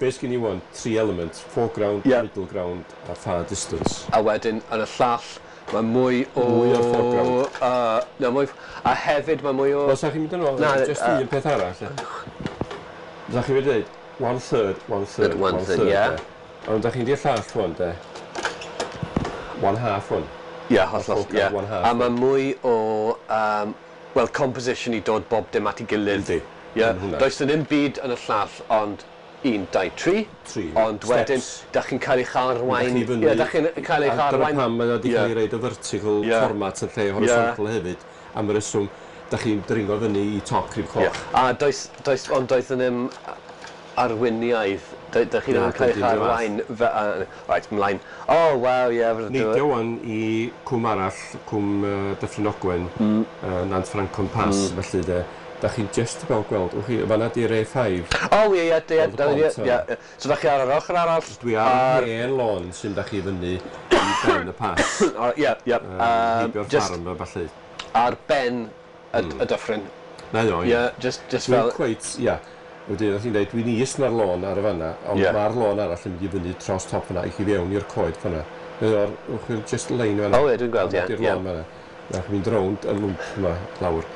B: Be sgyn i wan, three elements, foreground, yeah. middle ground a far distance.
A: A wedyn, yn y llall, mae mwy o...
B: Mwy o'r foreground.
A: Uh, no, mwy... A hefyd mae mwy o...
B: Wel, sa chi'n mynd yn ôl, just uh, un peth arall. Sa chi'n mynd i dweud, one third, one third, one, one third,
A: yeah.
B: Ond da chi'n di'r llall one, de. One half one.
A: Ie, yeah, hollol, ie. Yeah. A mae mwy o, um, well, composition i dod bob dim at ei gilydd.
B: Yndi.
A: Yeah. Does ddim byd yn y llall, ond un, dau, tri.
B: Tri.
A: Ond wedyn, da chi'n cael eich arwain... Ie, da chi'n cael eich arwain...
B: Dyna pam mae wedi cael ei reid y vertical yeah. format yn lle horizontal yeah. hefyd. Am y reswm, da chi'n dringo fyny i top crib coch.
A: Yeah. A does, does, ond does ddim arweiniaeth. Da, da chi ddim yn cael eich arwain... Right, ymlaen. Oh, waw, ie.
B: Neidio wan i cwm arall, cwm uh, Dyffryn Ogwen, mm. uh, Nant Ffrancon Pass, mm. felly de. Da chi'n just about gweld, wch chi, fanna di'r A five.
A: O, ie, ie, ie, ie. So da chi ar yr ochr arall?
B: Dwi ar hen lôn sy'n da chi fyny i ben y pas.
A: Ie, ie.
B: Heibio'r ffarm a ballu.
A: Ar ben y dyffryn.
B: Na, o,
A: ie. Just, just fel...
B: Dwi'n cweit, ie. Wedyn, oedd hi'n dweud, dwi'n is na'r lôn ar y fanna, ond mae'r lôn arall yn mynd i fyny dros top fanna, i chi fewn i'r coed fanna. O'r, wch chi, just lein fanna.
A: O, ie, dwi'n gweld, ie.
B: Di'r lôn fanna. Na, chi'n mynd rownd y lwmp yma, lawr.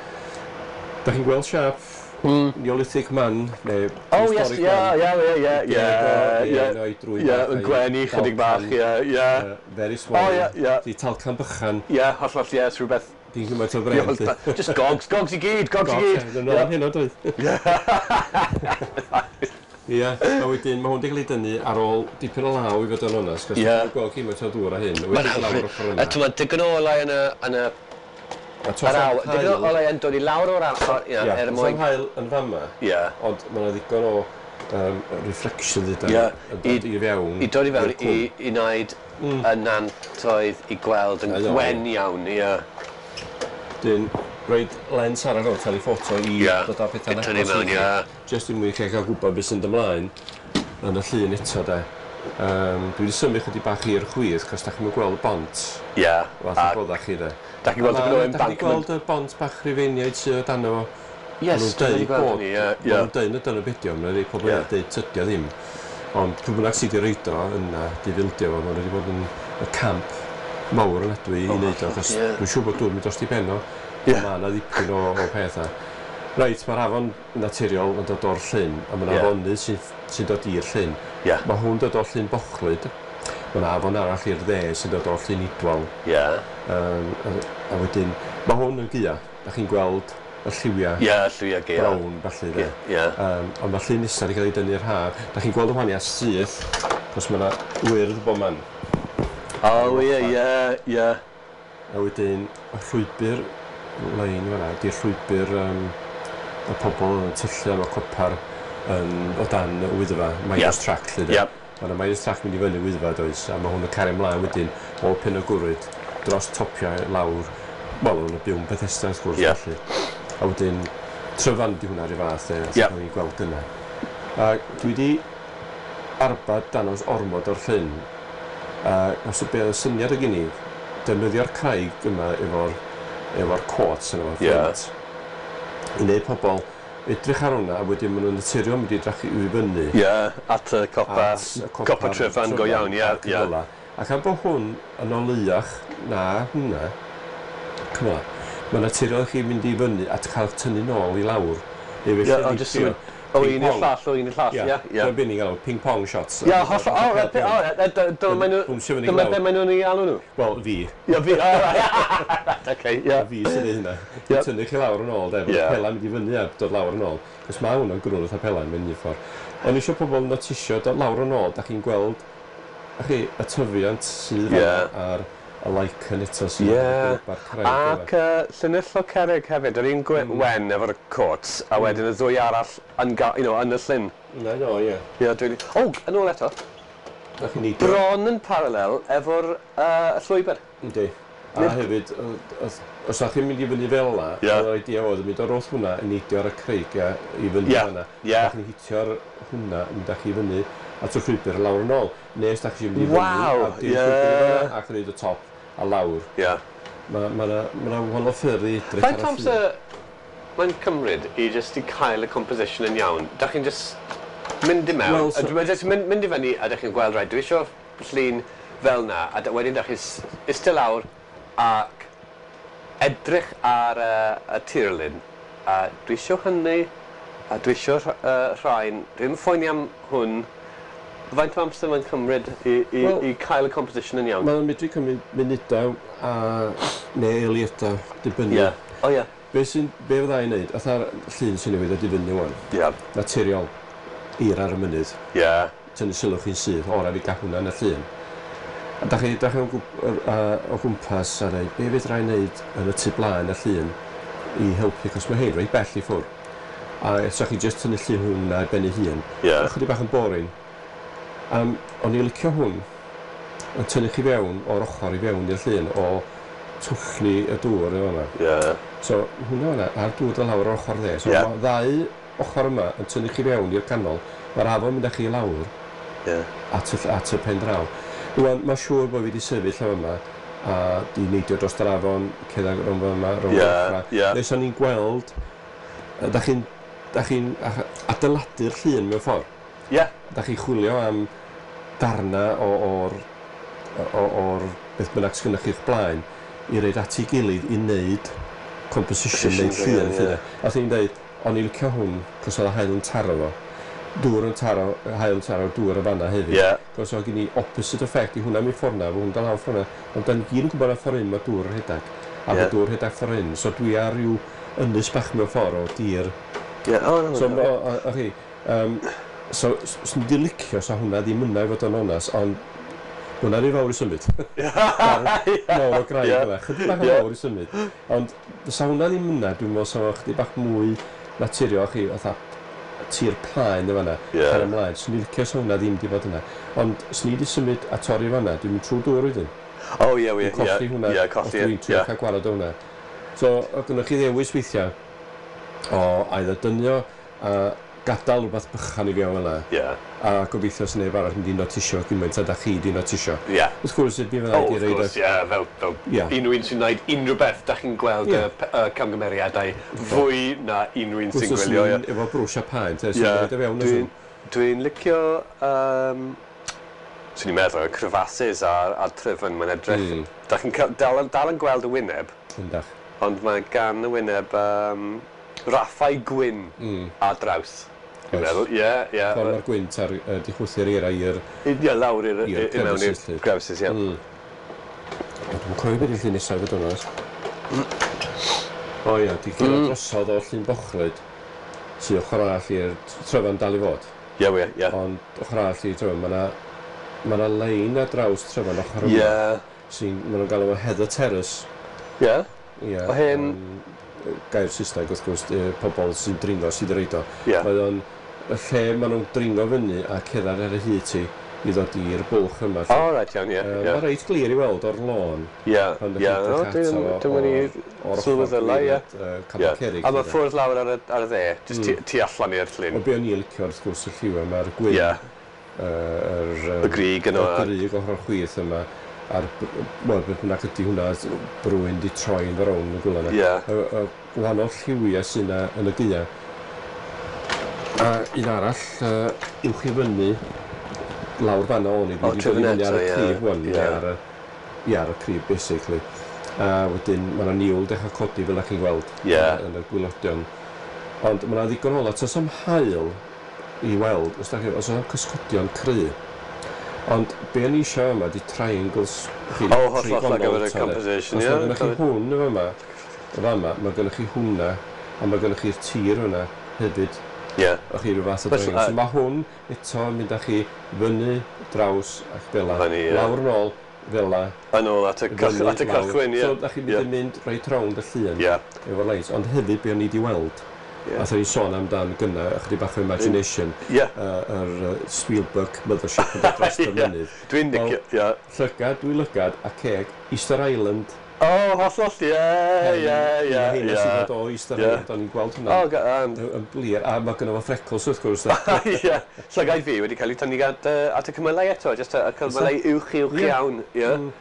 B: Da chi'n gweld siap mm. Neolithic man, neu
A: oh, yes,
B: prehistoric
A: yeah,
B: man.
A: Yeah, yeah, yeah, yeah,
B: yeah,
A: yeah, yn gwenu chydig bach, yeah, yeah.
B: Very small.
A: Oh, yeah, yeah.
B: Di talcan bychan.
A: Yeah, hollol, yeah, rhywbeth.
B: Di'n gymaint o bren.
A: Just gogs, gogs i gyd, gogs i gyd.
B: Gogs, yeah. Hyn o doedd. Ie, a wedyn mae hwn wedi cael ei dynnu ar ôl dipyn o law i fod yn onest, cos dwi'n gweld gymaint o ddŵr a hyn.
A: Mae'n hyfryd. A ti'n digon o olau yn y... Yr aw, digon o olau yn dod i lawr o'r ar,
B: ie, er mwyn... Ie, haul yn fama, ond mae yna ddigon o um, reflection ddydan, yn dod i fewn.
A: I dod i fewn, i, i wneud y nantoedd i gweld yn gwen iawn, ie.
B: Dyn, roed lens arall o'r telephoto i dod â pethau'n
A: agos. Tynnu mewn, ie.
B: Just i mwyn chi gael gwybod beth sy'n ymlaen yn y llun eto, de. Um, dwi wedi symud chydig bach i'r chwith, cos da chi'n gweld y bont.
A: Ie. Yeah.
B: Fath o bodda chi, de.
A: Da chi'n gweld y embankment.
B: Da chi'n gweld y bont bach Rufeiniaid sydd o dan o.
A: Yes, dwi wedi gweld hynny, ie.
B: Maen nhw'n deud na dyna beth yw, mae'n rhai pobl yn deud tydio ddim. Ond pwy bynnag sydd wedi reid o yna, di fildio fo, maen nhw wedi bod yn y camp mawr yn adwy i wneud o, achos dwi'n siŵr bod dŵr mynd dros di ben o. Mae yna ddipyn o, o pethau. Reit, mae'r afon naturiol yn dod o'r llyn, a mae'n yeah. afonydd sy'n sy dod i'r llyn.
A: Yeah.
B: Mae hwn dod o'r llyn Bochlyd, mae yna afon arall i'r dde sy'n dod o'r llyn Idwal.
A: Yeah.
B: Um, a, a wedyn, mae hwn yn gaea, da chi'n gweld y lliwiau
A: yeah, lliwiau gaea.
B: Brown, falle. De.
A: Yeah. Yeah.
B: Um, ond mae'r llyn nesaf wedi cael ei dynnu'r haf. Da chi'n gweld y wahaniaeth syth, cos mae yna wyrdd bob man.
A: Oh, ie, ie, ie.
B: A wedyn, y llwybr lein fan'na, di'r llwybr um, y pobl yn tyllu am y copar yn, o dan y Wyddfa, miners
A: yep.
B: track lle de.
A: Yep.
B: Mae yna miners track mynd i fyny Wyddfa does, a mae hwn yn cario ymlaen wedyn o Pen y Gwryd dros topiau lawr, wel, o'n byw'n Bethesda wrth gwrs
A: yep.
B: felly. A wedyn Tryfan di hwnna rhyw fath de,
A: yep.
B: o'n i'n gweld gyna. A dwi wedi arbad danos ormod o'r llyn, a os y be oedd y syniad o gen i, defnyddio'r craig yma efo'r efo'r quartz yn efo'r
A: flint.
B: Yeah. I wneud pobl edrych ar hwnna, a wedyn maen nhw'n naturiol mynd i edrych i fyny.
A: Ie, yeah, at y copa,
B: at y copa,
A: copa Tryfan go iawn, ie. Yeah, yeah.
B: Ac am bod hwn yn oleuach na hwnna, come on, mae'n naturiol chi mynd i fyny at cael tynnu nôl i lawr. Neu felly
A: yeah,
B: yeah,
A: O un i'r llall, o un i'r llall, ie.
B: Ie. Dyna beth ni'n galw ping-pong shots.
A: Ie, holl... O, dyma be maen nhw'n ei alw nhw?
B: Wel, fi.
A: Ie, fi, o, right, oce, ie.
B: Fi sy'n neud hynna. Tynnu chi lawr yn ôl, de, fo'r pela'n mynd i fyny a dod lawr yn ôl. Cos mae hwnna'n grwn fatha pela'n mynd i'r ffordd. O'n eisiau pobl notisio dod lawr yn ôl, da chi'n gweld chi, y tyfiant sydd ar y lichen eto sydd
A: yeah. ar craig. Ac uh, llinell o cerrig hefyd, yr un mm. wen efo'r cwt, a wedyn y ddwy arall yn, you know, yn y llyn.
B: Na, no, ie.
A: Yeah, dwi'n... O, yn ôl eto. Bron yn paralel efo'r uh, llwybr.
B: Yndi. A Nid... hefyd, os ydych chi'n mynd i fyny fel yna, yeah. yr idea oedd yn mynd o'r wrth hwnna yn neidio ar y creigiau i fyny
A: yeah.
B: hwnna.
A: Yeah.
B: Dach chi'n hitio'r hwnna, mynd â chi fyny at y llwybr lawr yn ôl. Nes dach chi'n mynd i fyny
A: wow.
B: a dim yeah. llwybr i fyny ac yn neud y top a lawr.
A: Yeah.
B: Mae ma na, ma na wahanol ffyrdd i edrych ar y
A: llun. Faint mae'n cymryd i just i cael y composition yn iawn? Dach chi'n just mynd i mewn, well, so, a just mynd, mynd i fyny a dach chi'n gweld, right, dwi eisiau llun fel na, a wedyn dach chi'n eistedd lawr ac edrych ar y, y tirlun, a dwi eisiau hynny, a dwi eisiau uh, rhain, dwi'n phoeni am hwn. Faint o amser mae'n cymryd i, i, well, i cael y composition yn iawn?
B: Mae'n medru cymryd munudau a neu eiliadau, dibynnu.
A: Yeah. Oh, yeah.
B: Be, sy'n, be fydda i'n neud, fatha'r llun sy'n newydd ydi fyny wan.
A: Yeah.
B: Naturiol, eira ar y mynydd.
A: Yeah.
B: Tynnu sylw chi'n syth, ora fi gael hwnna yn y llun. A da chi, da chi o, o gwmpas a dweud, be fedra i wneud yn y tu blaen y llun i helpu, cos mae hein reit bell i ffwrdd. A sa chi jyst tynnu llun hwnna i ben ei hun.
A: Yeah.
B: Chydig bach yn boring. Um, o'n i licio hwn yn tynnu chi fewn o'r ochr i fewn i'r llun o twllni y dŵr efo yma.
A: Yeah.
B: So hwnna yna, a'r dŵr dod lawr o'r ochr dde. So
A: yeah.
B: mae ddau ochr yma yn tynnu chi fewn i'r canol. Mae'r afon mynd â chi i lawr
A: yeah.
B: at, y, at y pen draw. Rwan, mae'n siŵr bod fi wedi sefyll am yma a di neidio dros yr afon, cerdded rownd yma, rownd
A: yeah,
B: yma.
A: Yeah.
B: Nes o'n i'n gweld, da chi'n da chi'n adeiladu'r llun mewn ffordd.
A: Yeah.
B: Da chi'n chwilio am darna o'r o'r beth bynnag sgynnoch chi'ch blaen i roid at ei gilydd i wneud composition neu llun.
A: Yeah.
B: A ti'n dweud, o'n i'n licio hwn, cos oedd y haul yn taro fo. Dŵr yn taro, haul yn taro, dŵr yn fanna hefyd.
A: Yeah.
B: Cos oedd gen i opposite effect i hwnna mi ffordd na, fo hwn dal lawr ffordd na. Ond da ni gyd yn gwybod na ffordd un mae dŵr yn rhedeg. A
A: yeah.
B: mae dŵr rhedeg ffordd un. So dwi ar ryw ynys bach mewn ffordd o dir.
A: Yeah. Oh, no,
B: so,
A: no.
B: O, o, o, um, so, swn i 'di licio sa hwnna ddim yna i fod yn onast, ond hwnna rhy fawr i symud. Mawr o graig yna, chydig bach yn fawr i symud. Ond sa hwnna ddim yna, dwi'n meddwl sa fo chydig bach mwy naturiol chi, fatha tir plaen yn fanna,
A: yeah.
B: car ymlaen. Swn i licio sa hwnna ddim 'di fod yna. Ond swn i 'di symud a torri fanna, dwi'n mynd trwy dŵr wedyn.
A: Oh, ie, ie,
B: Dwi'n colli hwnna,
A: yeah, colli,
B: dwi'n trio cael gwared o hwnna. So, oedd gynnoch chi ddewis weithiau o either dynio a gadael rhywbeth bychan i fewn fel 'na.
A: Yeah.
B: A gobeithio sy'n neb arall mynd i notisio gymaint a da chi di notisio.
A: Yeah.
B: Wrth gwrs, mi fydda i
A: oh,
B: di reid...
A: Wrth gwrs, ie, fel, fel
B: yeah.
A: unrhyw un sy'n gwneud unrhyw beth, da chi'n gweld
B: yeah.
A: y, y camgymeriadau fwy na unrhyw un sy'n gwylio.
B: Wrth gwrs, efo brwsh a paent, e, sy'n yeah. fewn.
A: Dwi'n dwi licio, um, swn i'n meddwl, y crevasses a'r, a'r tryfan, mae'n edrych.
B: Mm.
A: Da chi'n dal, dal yn gweld y wyneb.
B: Yndach.
A: Ond mae gan y wyneb um, raffau gwyn
B: mm.
A: ar draws. Dwi'n meddwl, ie, ie.
B: Ffordd mae'r gwynt ar uh, di chwythu'r eira i'r...
A: Ie, lawr i'r i mewn i'r crevices, ie.
B: Mm. Dwi'n cofio beth yw'r llun nesaf fod yn onest. O ie, di cyrraedd mm. drosodd o Llyn Bochlwyd, sydd ochr arall i'r Tryfan dal i fod.
A: Ie, ie, ie.
B: Ond ochr arall i'r Tryfan, mae 'na ma' 'na lein ar draws Tryfan ochr yma.
A: Ie.
B: Sy'n, ma' nhw'n galw fo Heather Terrace.
A: Ie.
B: Ie.
A: O hen...
B: Gair Saesneg, wrth gwrs, pobl sy'n dringo sydd yn reid o.
A: Ie.
B: Mae o'n y lle maen nhw'n dringo fyny a cerdded ar y hyd ti i ddod i'r bwlch yma.
A: O, oh, reit, iawn, ie.
B: Yeah, yeah. Mae reit glir i weld o'r lôn.
A: Ie, ie. Dwi'n mynd i sylweddoli, ie.
B: Capel Cerrig.
A: A mae ffwrdd lawr ar y, ar y dde, jyst mm. tu allan i'r llyn.
B: O, be o'n i'n licio, wrth gwrs, y lliw yma, mae'r gwyn.
A: Ie.
B: Yr,
A: y grug yno.
B: Y grug ochr chwith yma. A'r, wel, beth bynnag ydy hwnna, brwyn di troi'n frown y gwla yna.
A: Ie.
B: Y, y gwahanol lliwiau sy'n yna yn y gaea. A un arall, uh, uwch i fyny, lawr fanna o'n i, dwi wedi dod i fyny ar y crib wan, ar y, ie, ar y crib, basically. A wedyn, mae yna niwl dechrau codi fel ydych chi'n gweld
A: yeah.
B: yn y gwylodion. Ond mae yna ddigon o ola, tas am haul i weld, os da chi, os yna cysgodion cry. Ond be o'n i eisiau yma di triangles. Chi,
A: O, hollol ar gyfer y composition,
B: ie.
A: ie.
B: Os mae gennych chi hwn yn fama, yn fama, mae gennych chi hwnna, a mae gennych chi'r tir hwnna hefyd.
A: Ie.
B: O'ch chi rhyw fath o
A: Felly,
B: triangle.
A: a-
B: So mae hwn eto yn mynd â chi fyny, draws ac fel 'la.
A: Fyny, ie.
B: Lawr yn ôl, fel 'la.
A: Yn ôl at y, cych,
B: fyny,
A: at y
B: lawr.
A: cychwyn, ie.
B: So, da chi'n mynd
A: Ie.
B: yn mynd reit rownd y llun
A: Ie.
B: efo'r lines. Ond hefyd, be o'n i wedi weld,
A: Ie.
B: yeah. Athyn ni sôn amdan gynna, ychydig bach o imagination,
A: Ie.
B: uh, yr uh, Spielberg Mothership yn dod dros y
A: Ie.
B: mynydd.
A: Dwi'n licio, ie.
B: Llygad, dwy lygad, a ceg, Easter Island.
A: O, hollol, ie, ie, ie,
B: Heina sy'n
A: ie.
B: dod o Easter
A: Ie.
B: Island, o'n i'n gweld
A: O,
B: hwnna
A: ga- yym,
B: yn blir, a mae gynno fo freckles wrth gwrs. de.
A: Ie. Llygaid fi wedi cael ei tynnu at, uh, at y cymylau eto, just y, y cymylau uwch uwch
B: Ie.
A: iawn, ie.
B: Mm.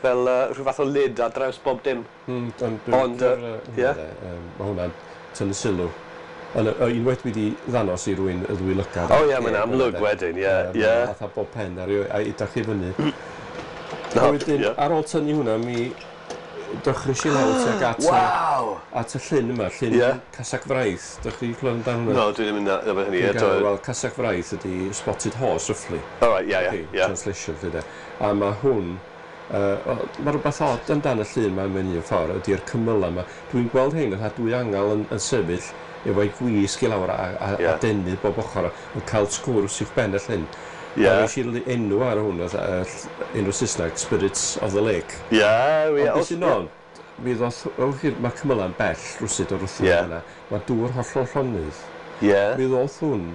A: Fel uh, rhyw fath o lid ar draws bob dim.
B: Mm, ond dwi'n
A: Ond, yy,
B: licio'r, yy,
A: ie.
B: hwnna de, yym, Mae hwnna'n tynnu sylw. Ond yy, unwaith dwi wedi ddangos i rywun y ddwy lygad.
A: O ie, mae'n amlwg wedyn, ie,
B: Yy,
A: ie.
B: ma' Fatha bob pen ar ei, a edrych i fyny.
A: No,
B: A wedyn,
A: ie.
B: ar ôl tynnu hwnna, mi dechreuais i lawr tuag at, y-
A: Waw!
B: at y llyn yma, llyn
A: Ie.
B: Casag Fraith. Dych chi clywed amdano hwnna?
A: No, dwi ddim yn nabod hynny
B: Dwi'n
A: eto.
B: gael, Wel, Casag Fraith ydy spotted horse, roughly.
A: All right, ie, ie,
B: Okay,
A: ie.
B: Translation, lle de. A mae hwn, uh, mae rhywbeth od amdan y llun yma mewn un ffordd, ydy'r cymylau yma. Dwi'n gweld hein, fatha dwy angel yn, yn sefyll efo'i gwisg i lawr a, a,
A: Ie.
B: a denu bob ochr yn cael sgwrs uwch ben y llyn.
A: Ie.
B: A roes i li- enw ar hwn, fatha, yy, ll- enw Saesneg, Spirits of the Lake.
A: Ie, ie.
B: Ond beth sy'n on, mi ddoth, o, mae cymylau yn bell rwsyd o'r wrth
A: Ie.
B: yna. Mae dŵr hollol llonydd.
A: Ie.
B: Mi ddoth hwn,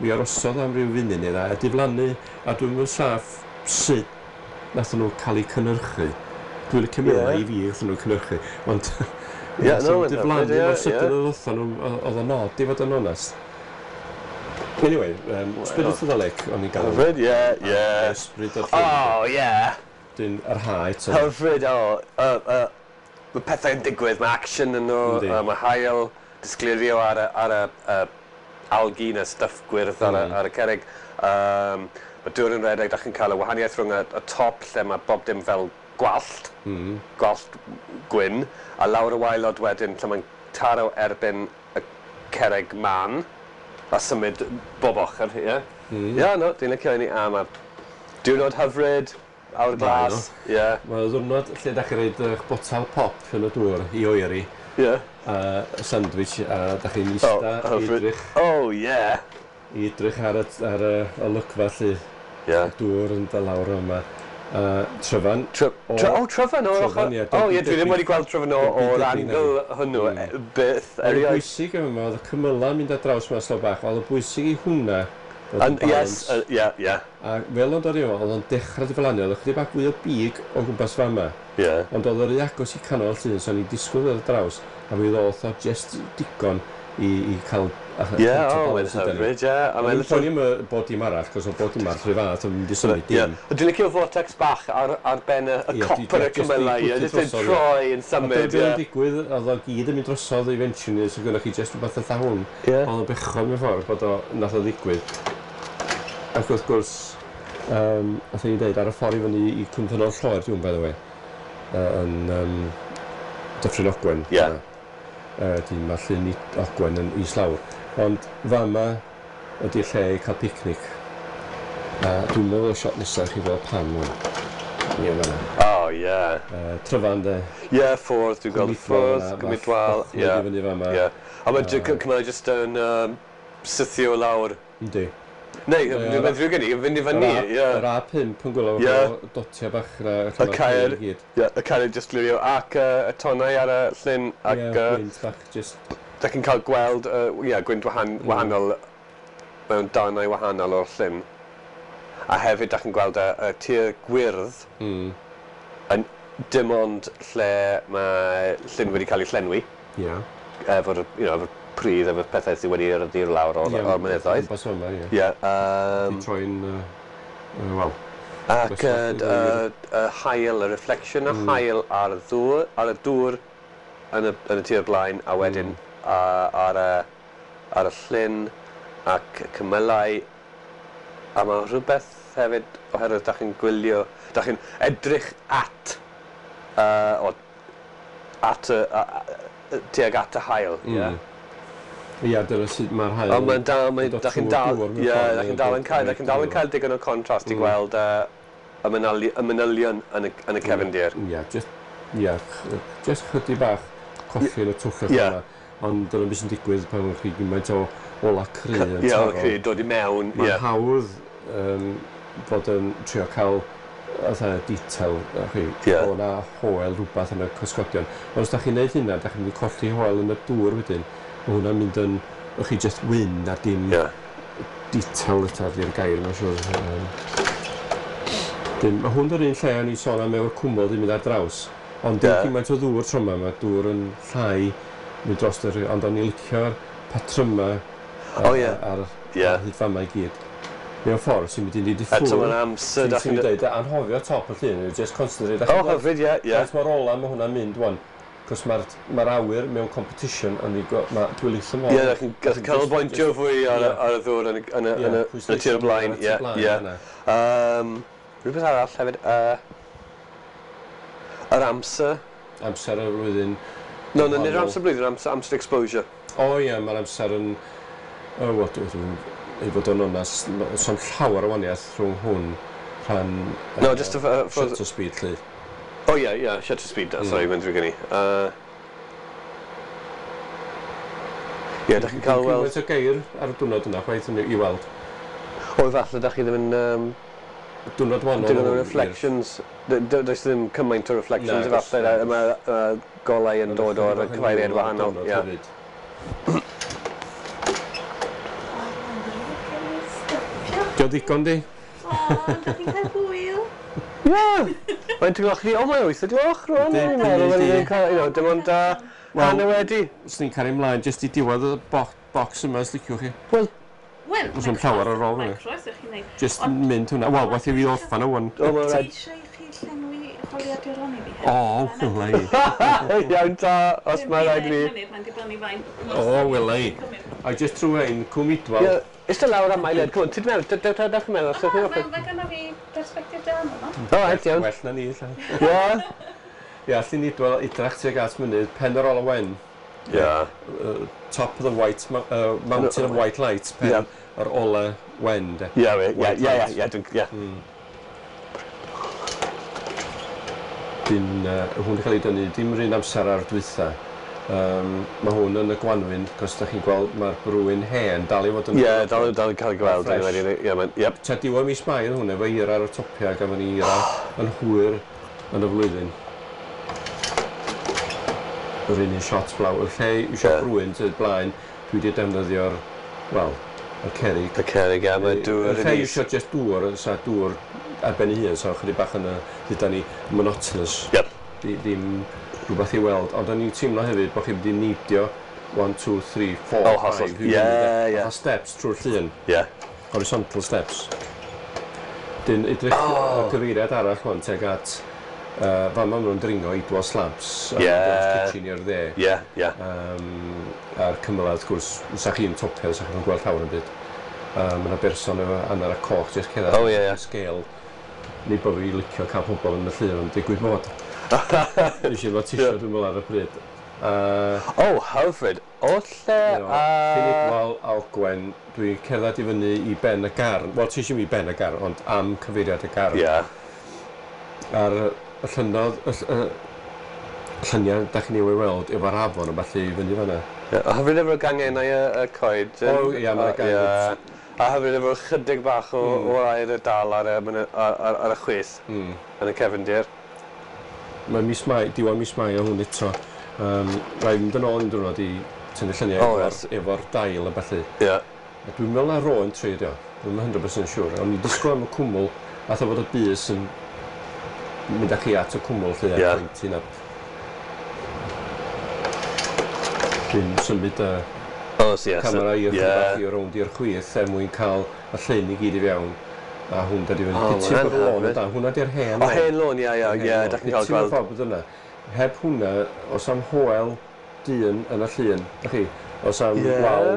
B: mi arosodd am ryw funud neu ddau, a diflannu, a dwi'n meddwl saff sut nath nhw cael eu cynhyrchu. Dwi'n licio meddwl
A: Ie.
B: i fi wrth nhw cynhyrchu, ond
A: Ie,
B: nath
A: no,
B: nhw
A: mae'n
B: diflannu
A: hyfryd, ie,
B: mor sydyn
A: ie.
B: oedd wrthon nhw, oedd o'n od i fod yn onest. Anyway, um, Spirit of the Lake, o'n i'n galw.
A: Hyfryd, ie, ie.
B: Ysbryd o'r llyn.
A: O, ie.
B: Dyn yr ha eto.
A: Hyfryd, o. Uh, uh, mae pethau'n digwydd, mae action yn nhw,
B: Yndi.
A: uh, mae haul disgleirio ar y, ar y uh, algae na stuff gwyrdd ar, y,
B: Mm.
A: ar y cerrig. Um, mae dŵr yn rhedeg, da chi'n cael y wahaniaeth rhwng y, y top lle mae bob dim fel gwallt,
B: Mm.
A: gwallt gwyn, a lawr y waelod wedyn lle mae'n taro erbyn y cerrig man, a symud bob ochr, ie. Yeah.
B: Mm.
A: Ie, yeah, no, dwi'n licio hynny, a mae diwrnod hyfryd, awr glas, ie,
B: Mae o ddiwrnod lle da chi roid eich botal pop yn y dŵr i oeri,
A: ie.
B: a sandwich, a da chi'n ista
A: Oh,
B: i
A: hyfryd.
B: edrych,
A: Oh, yeah.
B: i edrych ar y, ar y olygfa lle,
A: Ie.
B: dŵr yn dod lawr yma. Uh, Tryfan,
A: Try,
B: O-
A: try, oh, Tryfan o'r
B: Tryfan,
A: ochr.
B: ie,
A: O, ie, dwi
B: debyg-
A: ddim wedi gweld Tryfan o-
B: debyg-
A: o'r
B: debyg
A: angle hwnnw,
B: Mm.
A: e, byth,
B: Oedd y
A: erioed.
B: bwysig yma, oedd y cymylau mynd ar draws yma slow bach, oedd y bwysig i hwnna, oedd y
A: And, yes,
B: balance.
A: uh, ie, ie,
B: A fel o'n dod i oedd o'n dechrau diflannu, oedd ychydig bach fwy o big o gwmpas fama.
A: ie.
B: Ond oedd yr un agos i canol llun, so o'n i'n disgwyl ar draws, a mi ddoth o just digon i, i cael...
A: Ie, o, mae'n hyfryd, ie. A
B: O'n
A: mae'n
B: i'n poeni am y bod dim arall, cos oedd bod dim arall rhyw fath, o'n mynd i symud
A: Ie.
B: dim.
A: Dwi'n licio vortex bach ar, ar ben y, y
B: Ie,
A: copper y
B: di- jyst
A: cymylau,
B: i
A: ie,
B: pwtio
A: jyst yn
B: drosodd, ie.
A: troi yn
B: A dyna
A: symud,
B: beth
A: ie.
B: o'n digwydd, oedd o gyd yn mynd drosodd eventually, so gynnwch chi just rhywbeth fatha hwn.
A: Ie.
B: Oedd o'n bechod mewn ffordd bod o nath o ddigwydd. Ac wrth gwrs, um, nath ni dweud ar y ffordd i fyny i Cwmffynnon Lloer, dwi'n by the way, uh, yn um, Dyffryn Ogwen.
A: Ie.
B: Uh, Dyn mae llyn i Ogwen yn islawr. Ond fama ydy'r lle i cael picnic. A dwi'n meddwl y shot nesaf chi fel pam hwn. Ie, fan'na.
A: O, ie.
B: Uh, Tryfan de.
A: Ie, ffordd, dwi'n gweld y ffordd, Cwmidwal,
B: ie.
A: ie.
B: Fyny fama.
A: Ie. A mae cymylau jyst yn um, sythio lawr.
B: Yndi.
A: Neu,
B: Ie,
A: dwi'n meddwl gen i, fynd i fyny,
B: Yr A-
A: ie.
B: Yr A pump yn gwylio
A: Ie.
B: efo dotiau bach na
A: Y caer. Ie, y caer jyst glirio ac uh, y tonnau ar y llyn ac
B: Ie,
A: uh,
B: gwynt bach just
A: da chi'n cael gweld uh, ie, gwynt wahan,
B: Mm.
A: wahanol mewn darnau wahanol o'r llyn. A hefyd da chi'n gweld y, y tir gwyrdd
B: mm.
A: yn dim ond lle mae llyn wedi cael ei llenwi
B: Ie.
A: efo'r you know, efo'r pridd, efo'r pethau sydd wedi erydu'r lawr o'r,
B: Ie,
A: o'r mynyddoedd.
B: Bas yma, ie.
A: Ie, um,
B: Di troi'n yy, yy, wel,
A: ac
B: Gwastraff
A: y,
B: i ddweud.
A: y, y haul, y reflection y
B: Mm.
A: haul ar y ddŵr, ar y dŵr yn y, yn y tir blaen, a wedyn
B: Mm.
A: a, ar, y, ar y llyn ac cymylau. A mae rhywbeth hefyd oherwydd da chi'n gwylio, da chi'n edrych at, uh, o, at y, a, a, tuag at y haul.
B: Mm.
A: Ie.
B: Ia, dyna sut mae'r haul...
A: Ond mae'n dal, mae, da chi'n dal, ie, da chi'n dal yn cael, da chi'n dal yn cael digon o contrast i gweld uh, y, manyli, y manylion yn y, yn y cefndir.
B: Ie, just, ie, just chydig bach colli yn y twllach yna. Ond dyna beth sy'n digwydd pan chi gymaint o ola cry yn taro.
A: Ie, ola cry, dod i mewn.
B: Mae'n hawdd um, fod yn trio cael fatha detail, chi, yeah. O na hoel rhywbeth yn y cysgodion. Ond os da chi'n neud hynna, da chi'n mynd i colli hoel yn y dŵr wedyn. Mae hwnna'n mynd yn, chi just wyn a dim yeah. detail eto ydy'r gair, mae'n siŵr. Um, dim, mae hwn yr un lle o'n i sôn am efo'r cwmwl ddim mynd ar draws. Ond dim yeah. gymaint o ddŵr tro yma, mae dŵr yn llai mynd dros yr, ond o'n i'n licio'r patryma ar, oh, yeah. ar, yeah. ar hyd fama i gyd. Mewn ffordd sy'n mynd i nid i ffwrdd.
A: Eto mae'n amser.
B: Ti'n dweud, anghofio top y llun, just concentrate.
A: O, oh, hyfryd, ie. Yeah,
B: yeah. Mae'r ola, mae hwnna'n mynd, wan. Cos mae'r ma awyr mewn competition, ond dwi'n licio mor.
A: Ie, yeah, chi'n gallu canolbwyntio fwy ar, yeah. ar y ddŵr yn y, yn y, yeah, yn y, yn y tir o blaen. Ie, ie. Um, rhywbeth arall hefyd, uh, yr amser.
B: Amser y flwyddyn.
A: No, no, nid yr amser blwyddyn, amser, amser exposure.
B: O ie, yeah, mae'r amser yn... O, oh, dwi'n ei fod yn onast, so'n llawer o waniaeth rhwng hwn rhan
A: no, just a, uh, for...
B: shutter speed, lly.
A: O oh, ie, yeah, ie, yeah, shutter speed, mm. Sorry, mae'n drwy gen i. Ie, yeah, da chi'n cael weld...
B: Cymaint o geir ar y diwrnod yna, chwaith i weld.
A: O, efallai, da chi ddim yn... Um,
B: diwrnod wahanol.
A: Diwrnod o reflections. Does ddim cymaint o reflections, efallai, mae uh, golau yn dod o'r cyfeiriad wahanol. Ie.
B: Dio ddigon di?
C: O, da chi'n cael hwyl.
A: Ie! Mae'n gloch ni, o mae wyth y gloch rwan. Dwi'n meddwl, mae'n cael, you know, dim ond hanner wedi.
B: Swn i'n cario ymlaen jyst i diwedd y box yma, os liciwch chi.
A: Wel,
C: Wel,
B: Os o'n llawer ar ôl
C: hwnna. Mae'n croeso chi'n neud.
B: Just mynd hwnna. Wel, wath i fi orffan o wan.
A: O, mae'n
C: rhaid. Ti eisiau i chi llenwi holiaduron i fi hefyd?
B: O, wela i.
A: Iawn ta, os mae rhaid i
C: fi. Mae'n dibynnu faint.
B: O, wela i. A just trwy ein Cwm Idwal.
A: Ista lawr am eiliad, come on, ti'n meddwl, dewch yn meddwl.
C: O, mae gynno fi persbectif da yma.
A: O, reit, iawn.
B: Well na ni, lla.
A: Ie.
B: Ie, Llyn Idwal, idrach tuag at mynydd, pen yr ola wen.
A: Ie.
B: Top of the white, uh, mountain of white light, pen yr ola wen, de.
A: Ie, ie, ie, ie, ie.
B: Dyn, hwn wedi cael ei dynnu, dim yr un amser ar dwytha. Um, mae hwn yn y gwanwyn, cos da chi'n gweld mae'r brwyn hen dal i fod yn...
A: Ie, yeah, dal, dal i cael ei gweld. Ie, yeah, yep.
B: Tua diwedd mis Mai yn hwn, efo eira ar y topiau, gafon ni eira yn hwyr yn y flwyddyn. Yr un un shot blaw. Y lle i eisiau yeah. brwyn sydd blaen, dwi wedi defnyddio'r, wel, y cerrig.
A: Y cerrig, ie, mae dŵr...
B: Y lle i eisiau just dŵr, sa dŵr ar ben ei hun, so chydig bach yn y, dduda ni, monotonous.
A: Yep.
B: Ddim rhywbeth i weld, ond o'n i'n teimlo hefyd bod chi'n mynd i neidio one, two, three, four,
A: oh,
B: five,
A: yeah, yeah.
B: Fatha steps trwy'r llun.
A: Yeah.
B: Horizontal steps. Dyn edrych oh. y cyfeiriad arall hwn tuag at uh, fan ma nhw'n dringo Idwal Slabs a
A: yeah.
B: Kitchen i'r dde.
A: Yeah, yeah.
B: Um, a'r cymylau, wrth gwrs, sa chi'n topio, sa chi'n gweld llawer yn byd. Um, mae yna berson efo annar a coch, jyst cerdded
A: oh, yeah, yeah.
B: Scale. Nid bod fi licio cael pobl yn y llun, ond digwydd bod. Nes i efo t-shirt dwi'n meddwl ar y pryd. Uh,
A: oh, hyfryd. O lle a...
B: Llyn Idwal a Ogwen, dwi'n cerdded i fyny i ben y garn. Wel, ti eisiau mi ben y garn, ond am cyfeiriad y garn.
A: Ie. Yeah.
B: A'r y llynnodd, y, y, lluniau da chi'n ei weld efo'r afon a falle i fyny fan'na.
A: Ie, a hyfryd efo'r gangennau y, y coed.
B: O, ie, mae'r gangen.
A: Yeah. A hyfryd efo'r chydig bach o, mm. o'r aer y dal ar y, ar, ar, ar y chwith
B: mm.
A: yn y cefndir.
B: Mae mis Mai, diwedd mis Mai o hwn eto. Um, Rhaid mynd yn ôl un diwrnod i tynnu lluniau
A: oh,
B: efo'r
A: yes.
B: efo dail a ballu.
A: Yeah.
B: A dwi'n meddwl na ro'n tri dio. Dwi'n one hundred percent siŵr. O'n i'n disgwyl am y cwmwl, a fod y bys yn mynd â chi at y cwmwl lle
A: yeah.
B: pointing up. Dwi'n symud y
A: oh, so yes,
B: camera i'r
A: yeah.
B: bach i rownd i'r chwith er mwyn cael y llun i gyd i fewn. A hwn dod i fyny.
A: Oh,
B: Piti bod y lôn yna. Hwnna di'r hen
A: lôn. O, hen lôn, ia, ia, ia. Da chi'n cael gweld.
B: Piti bod yna. Heb hwnna, os am hoel dyn yn y llun, da chi, os am
A: yeah.
B: wal,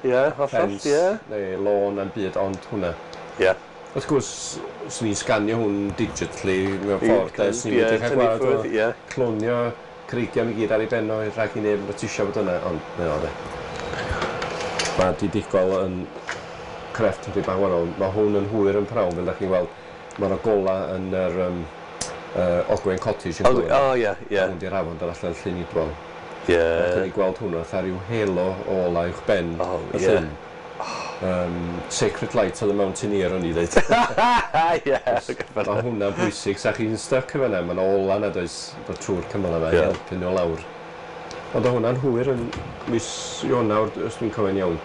A: yeah,
B: ffens,
A: yeah.
B: neu lôn am byd, ond hwnna.
A: Ie. Yeah.
B: Wrth gwrs, swn i'n sganio hwn digitally mewn ffordd, de, swn i'n mynd i cael gwared o
A: yeah.
B: clonio creigiau i gyd ar ei benno i rhag i neb notisio bod yna, ond mae o de. Mae Didugol yn crefft yn bach wahanol. Mae hwn yn hwyr yn prawn, fel da chi'n gweld. Mae yna gola yn yr um, uh, Ogwen Cottage yn
A: O, oh, ie, ie.
B: Hwn di'r afon dod allan Llyn Idwal.
A: Ie.
B: Ac yn ei gweld hwnnw, fatha rhyw halo o ola uwch ben
A: oh,
B: y
A: yeah.
B: llyn. Um, Sacred Light of the Mountaineer o'n i ddeud.
A: Ie.
B: Mae hwnna'n bwysig, sa chi'n stuck efo yna, mae'n ola na does, dod trwy'r cymyl yma i
A: Ie.
B: helpu nhw lawr. Ond o hwnna'n hwyr yn mis Ionawr, os dwi'n cofio'n iawn,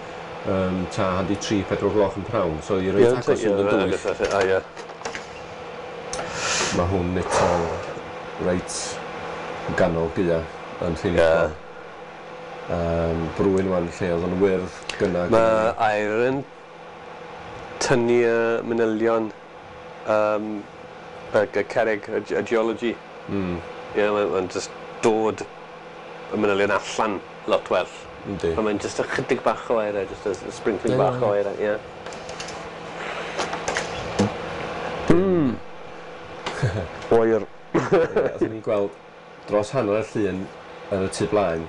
B: um, ta handi tri, pedwar gloch yn prawn, so i reit agos yn dywyll.
A: O, ie.
B: Mae hwn eto reit yn ganol gaea yn Llyn
A: Ie.
B: Idwal. Um, brwyn wan lle oedd yn wyrdd gynna.
A: Mae aer yn tynnu y manylion um, y, y cerrig, y, y geology.
B: Mm,
A: Ie, yeah, mae'n ma just dod y manylion allan lot well.
B: yndi.
A: Ond mae'n just ychydig bach o aer, just a, a sprinkling
B: Ie,
A: bach
B: ie.
A: o aer, ie. Mm. Oer.
B: Ie, Oeddwn ni'n gweld dros hanner y llun yn y tu blaen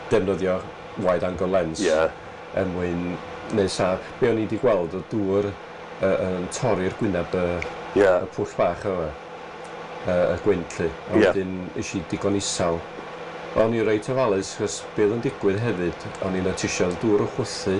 B: defnyddio wide angle lens
A: Ie.
B: er mwyn neu sa be o'n i wedi gweld o dŵr uh, yn torri'r gwyneb y,
A: Ie.
B: y pwll bach yma y, y gwynt lly a
A: Ie.
B: wedyn es i digon isal o'n i reit ofalus chos be oedd yn digwydd hefyd o'n i'n notisio oedd dŵr yn chwythu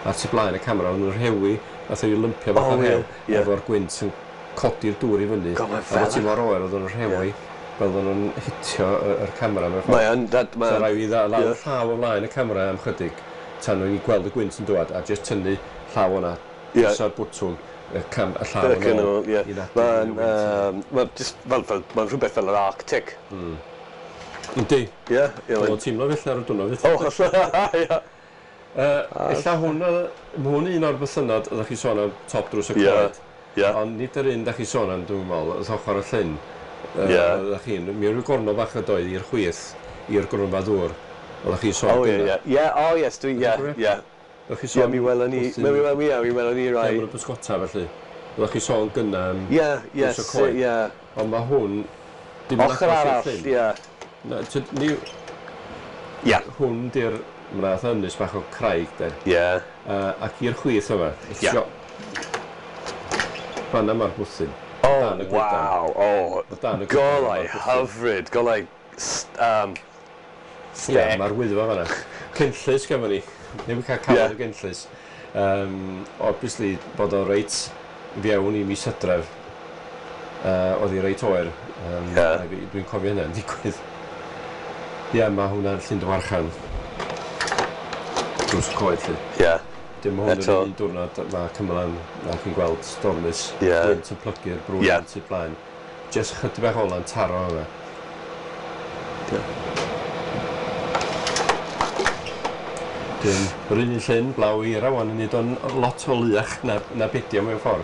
B: ar tu blaen y camera o'n nhw'n rhewi nath o'n i lympio bach
A: O,
B: o
A: ie,
B: rhew
A: ie.
B: efo'r gwynt yn codi'r dŵr i fyny
A: God, mae
B: a
A: fel
B: bod ti mor oer oedd o'n rhewi fel oedden nhw'n hitio y- yr camera mewn ffordd.
A: Mae yn, that,
B: So
A: mae...
B: rhaid fi ddal
A: Ie.
B: llaw o flaen y camera am chydig tan o'n i'n gweld y gwynt yn dŵad a jyst tynnu llaw o'na
A: Ie.
B: pwyso'r bwtwn y, cam, y llaw
A: Ac
B: yn
A: yn
B: ôl
A: ôl, ie.
B: i naddu
A: Mae'n,
B: y wynt.
A: yym, mae'n just fel, fel, mae'n rhywbeth fel yr Arctic.
B: Yndi,
A: Ie, ie.
B: oedd
A: mae'n-
B: o'n teimlo felly ar y diwrnod fyth.
A: O, hollol, ie.
B: Uh, ella hwn, oedd- ma' hwn un o'r bythynnod oeddech chi sôn am top drws y
A: Ie.
B: coed.
A: Ie.
B: Ond nid yr un da chi sôn am, dwi'n meddwl, oedd ochr y llyn. Yy,
A: Ie.
B: Oeddech chi'n, mi rhyw gornel bach ydoedd i'r chwith, i'r gronfa ddŵr. Oeddech chi'n sôn
A: O, ie,
B: gynna.
A: ie. Ie, o, yes, dwi, ie,
B: cofio?
A: ie.
B: Oeddech chi'n
A: Ie,
B: sôn
A: mi welon ni,
B: wrthyn-
A: mi welon ni, ie, mi welon ni
B: Lle
A: rai.
B: maen nhw'n bysgota felly. Oeddech chi sôn gynna am...
A: Ie, ie,
B: Drws y coed.
A: ie.
B: Ond mae hwn... Dim yn
A: Ochr
B: agos i'r
A: arall,
B: llyn.
A: ie.
B: Na, tyd- ni,
A: Ie.
B: hwn di'r... Mae'n fath ynys bach o craig, de.
A: Ie.
B: Uh, ac i'r chwith yma.
A: Ie.
B: Fanna mae'r bwthyn.
A: O,
B: Dan y goedan.
A: waw, o.
B: O dan y goedan
A: Golau
B: mae'r bwthyn.
A: hyfryd, golau, st- um,
B: Ie,
A: stec.
B: mae'r wyddfa fanna. Cynllys gafon ni. Ddim yn cael cafon
A: Ie.
B: o gynllys. Um, obviously, bod o reit fewn i mis Hydref. Uh, oedd hi reit oer. Um,
A: Ie.
B: yeah. Dwi'n cofio hynny'n digwydd. Ie, yeah, mae hwnna'n Llyn Dywarchan. Drws y coed, lly.
A: Ie.
B: Dim hwn yr
A: Eto.
B: un diwrnod mae cymylan a chi'n gweld stormus
A: Ie.
B: gwynt yn plygu'r brwyn
A: Ie.
B: tu blaen. Jyst chydig bach ola'n taro yma.
A: Ie.
B: Dyn, yr un un llyn, blaw eira wan yn neud o'n lot o luach na, na bedio mewn ffordd.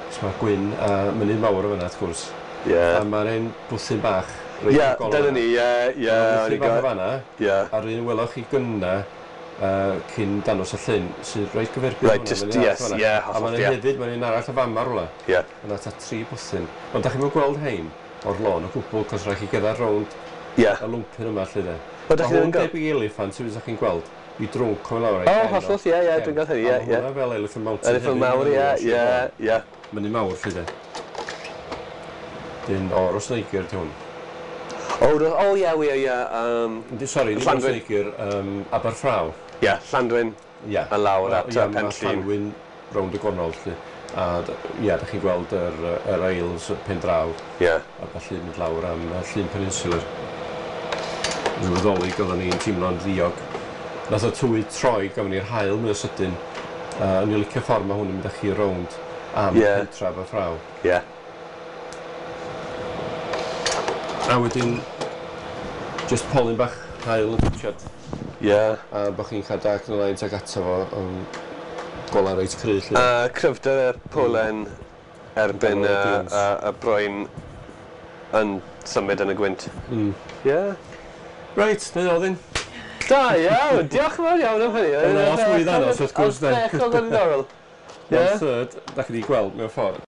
B: Cos mae gwyn a mynydd mawr o fyna, wrth gwrs.
A: Ie.
B: A mae'r un bwthyn bach reit
A: Ie,
B: ar golau
A: dyna
B: yna.
A: ni, ie, ie.
B: Mae'r
A: o'n i'n
B: bwthyn bach o
A: go-
B: fanna,
A: Ie.
B: a'r un weloch chi gynna uh, cyn danos y llyn, sydd reit gyferbyn
A: Right,
B: hwnna,
A: just-
B: mae'n un arall
A: yes,
B: fan'na.
A: ie,
B: A
A: hollol,
B: mae'n
A: ie.
B: hefyd, mae'n un arall y fama rwla.
A: Ie.
B: Yna ta tri bwthyn. Ond da chi'n mynd gweld hein o'r lôn o gwbl, cos rhaid chi gerdded rownd
A: Ie.
B: y lwmpyn yma lle de.
A: O, dach
B: Ma'
A: chi ddim
B: hwn
A: yn gweld?
B: debyg i eliffant, sydd chi'n gweld, i drwnc o'n lawr.
A: O, hollol, ie, ie, dwi'n gweld hynny, ie,
B: A
A: ie.
B: ma' hwnna fel Elephant Mountain.
A: Elephant
B: hefyd,
A: mawr,
B: ma'n
A: ie,
B: nhw,
A: ie, ie.
B: Mynydd mawr, lle de. Dyn, o, Rhosneigr, di hwn.
A: O, ro- o, ie, ie, ie. Um,
B: Yndi, sori, ddim
A: Llanddwyn.
B: Rhosneigr, um, Aberffraw.
A: Ie, Llanddwyn.
B: Ie.
A: A lawr at,
B: Ie,
A: yy,
B: ma'
A: Penllyn.
B: Llanddwyn rownd y gornel, lle. A, d- ie, da chi'n gweld yr, yy, yr aisles y pen draw,
A: Ie.
B: a felly mynd lawr am yy, Llyn Peninsular. Rhyw Ddolig oedden ni'n teimlo'n ddiog. Nath o tywydd troi gafon ni'r haul mwy o sydyn. Uh, o'n i'n licio ffordd mae hwn yn mynd â chi rownd am
A: Ie.
B: yeah. pentra Aberffraw.
A: Ie.
B: A wedyn, just polyn bach haul yn twtsiad.
A: Ie.
B: A bod chi'n cael dark yn y line tag ato fo, yn gola reit cry, lle.
A: A cryfder y polen erbyn y,
B: Ganol y dunes.
A: y, y broen yn symud yn y gwynt.
B: Mm.
A: Ie.
B: Reit, na i ddyn.
A: Da iawn, diolch yn fawr iawn am hynny.
B: Oedd 'na lot mwy i ddangos, wrth gwrs, de.
A: Oedd yn ddiddorol.
B: One
A: Ie.
B: third, da chi wedi gweld mewn ffordd.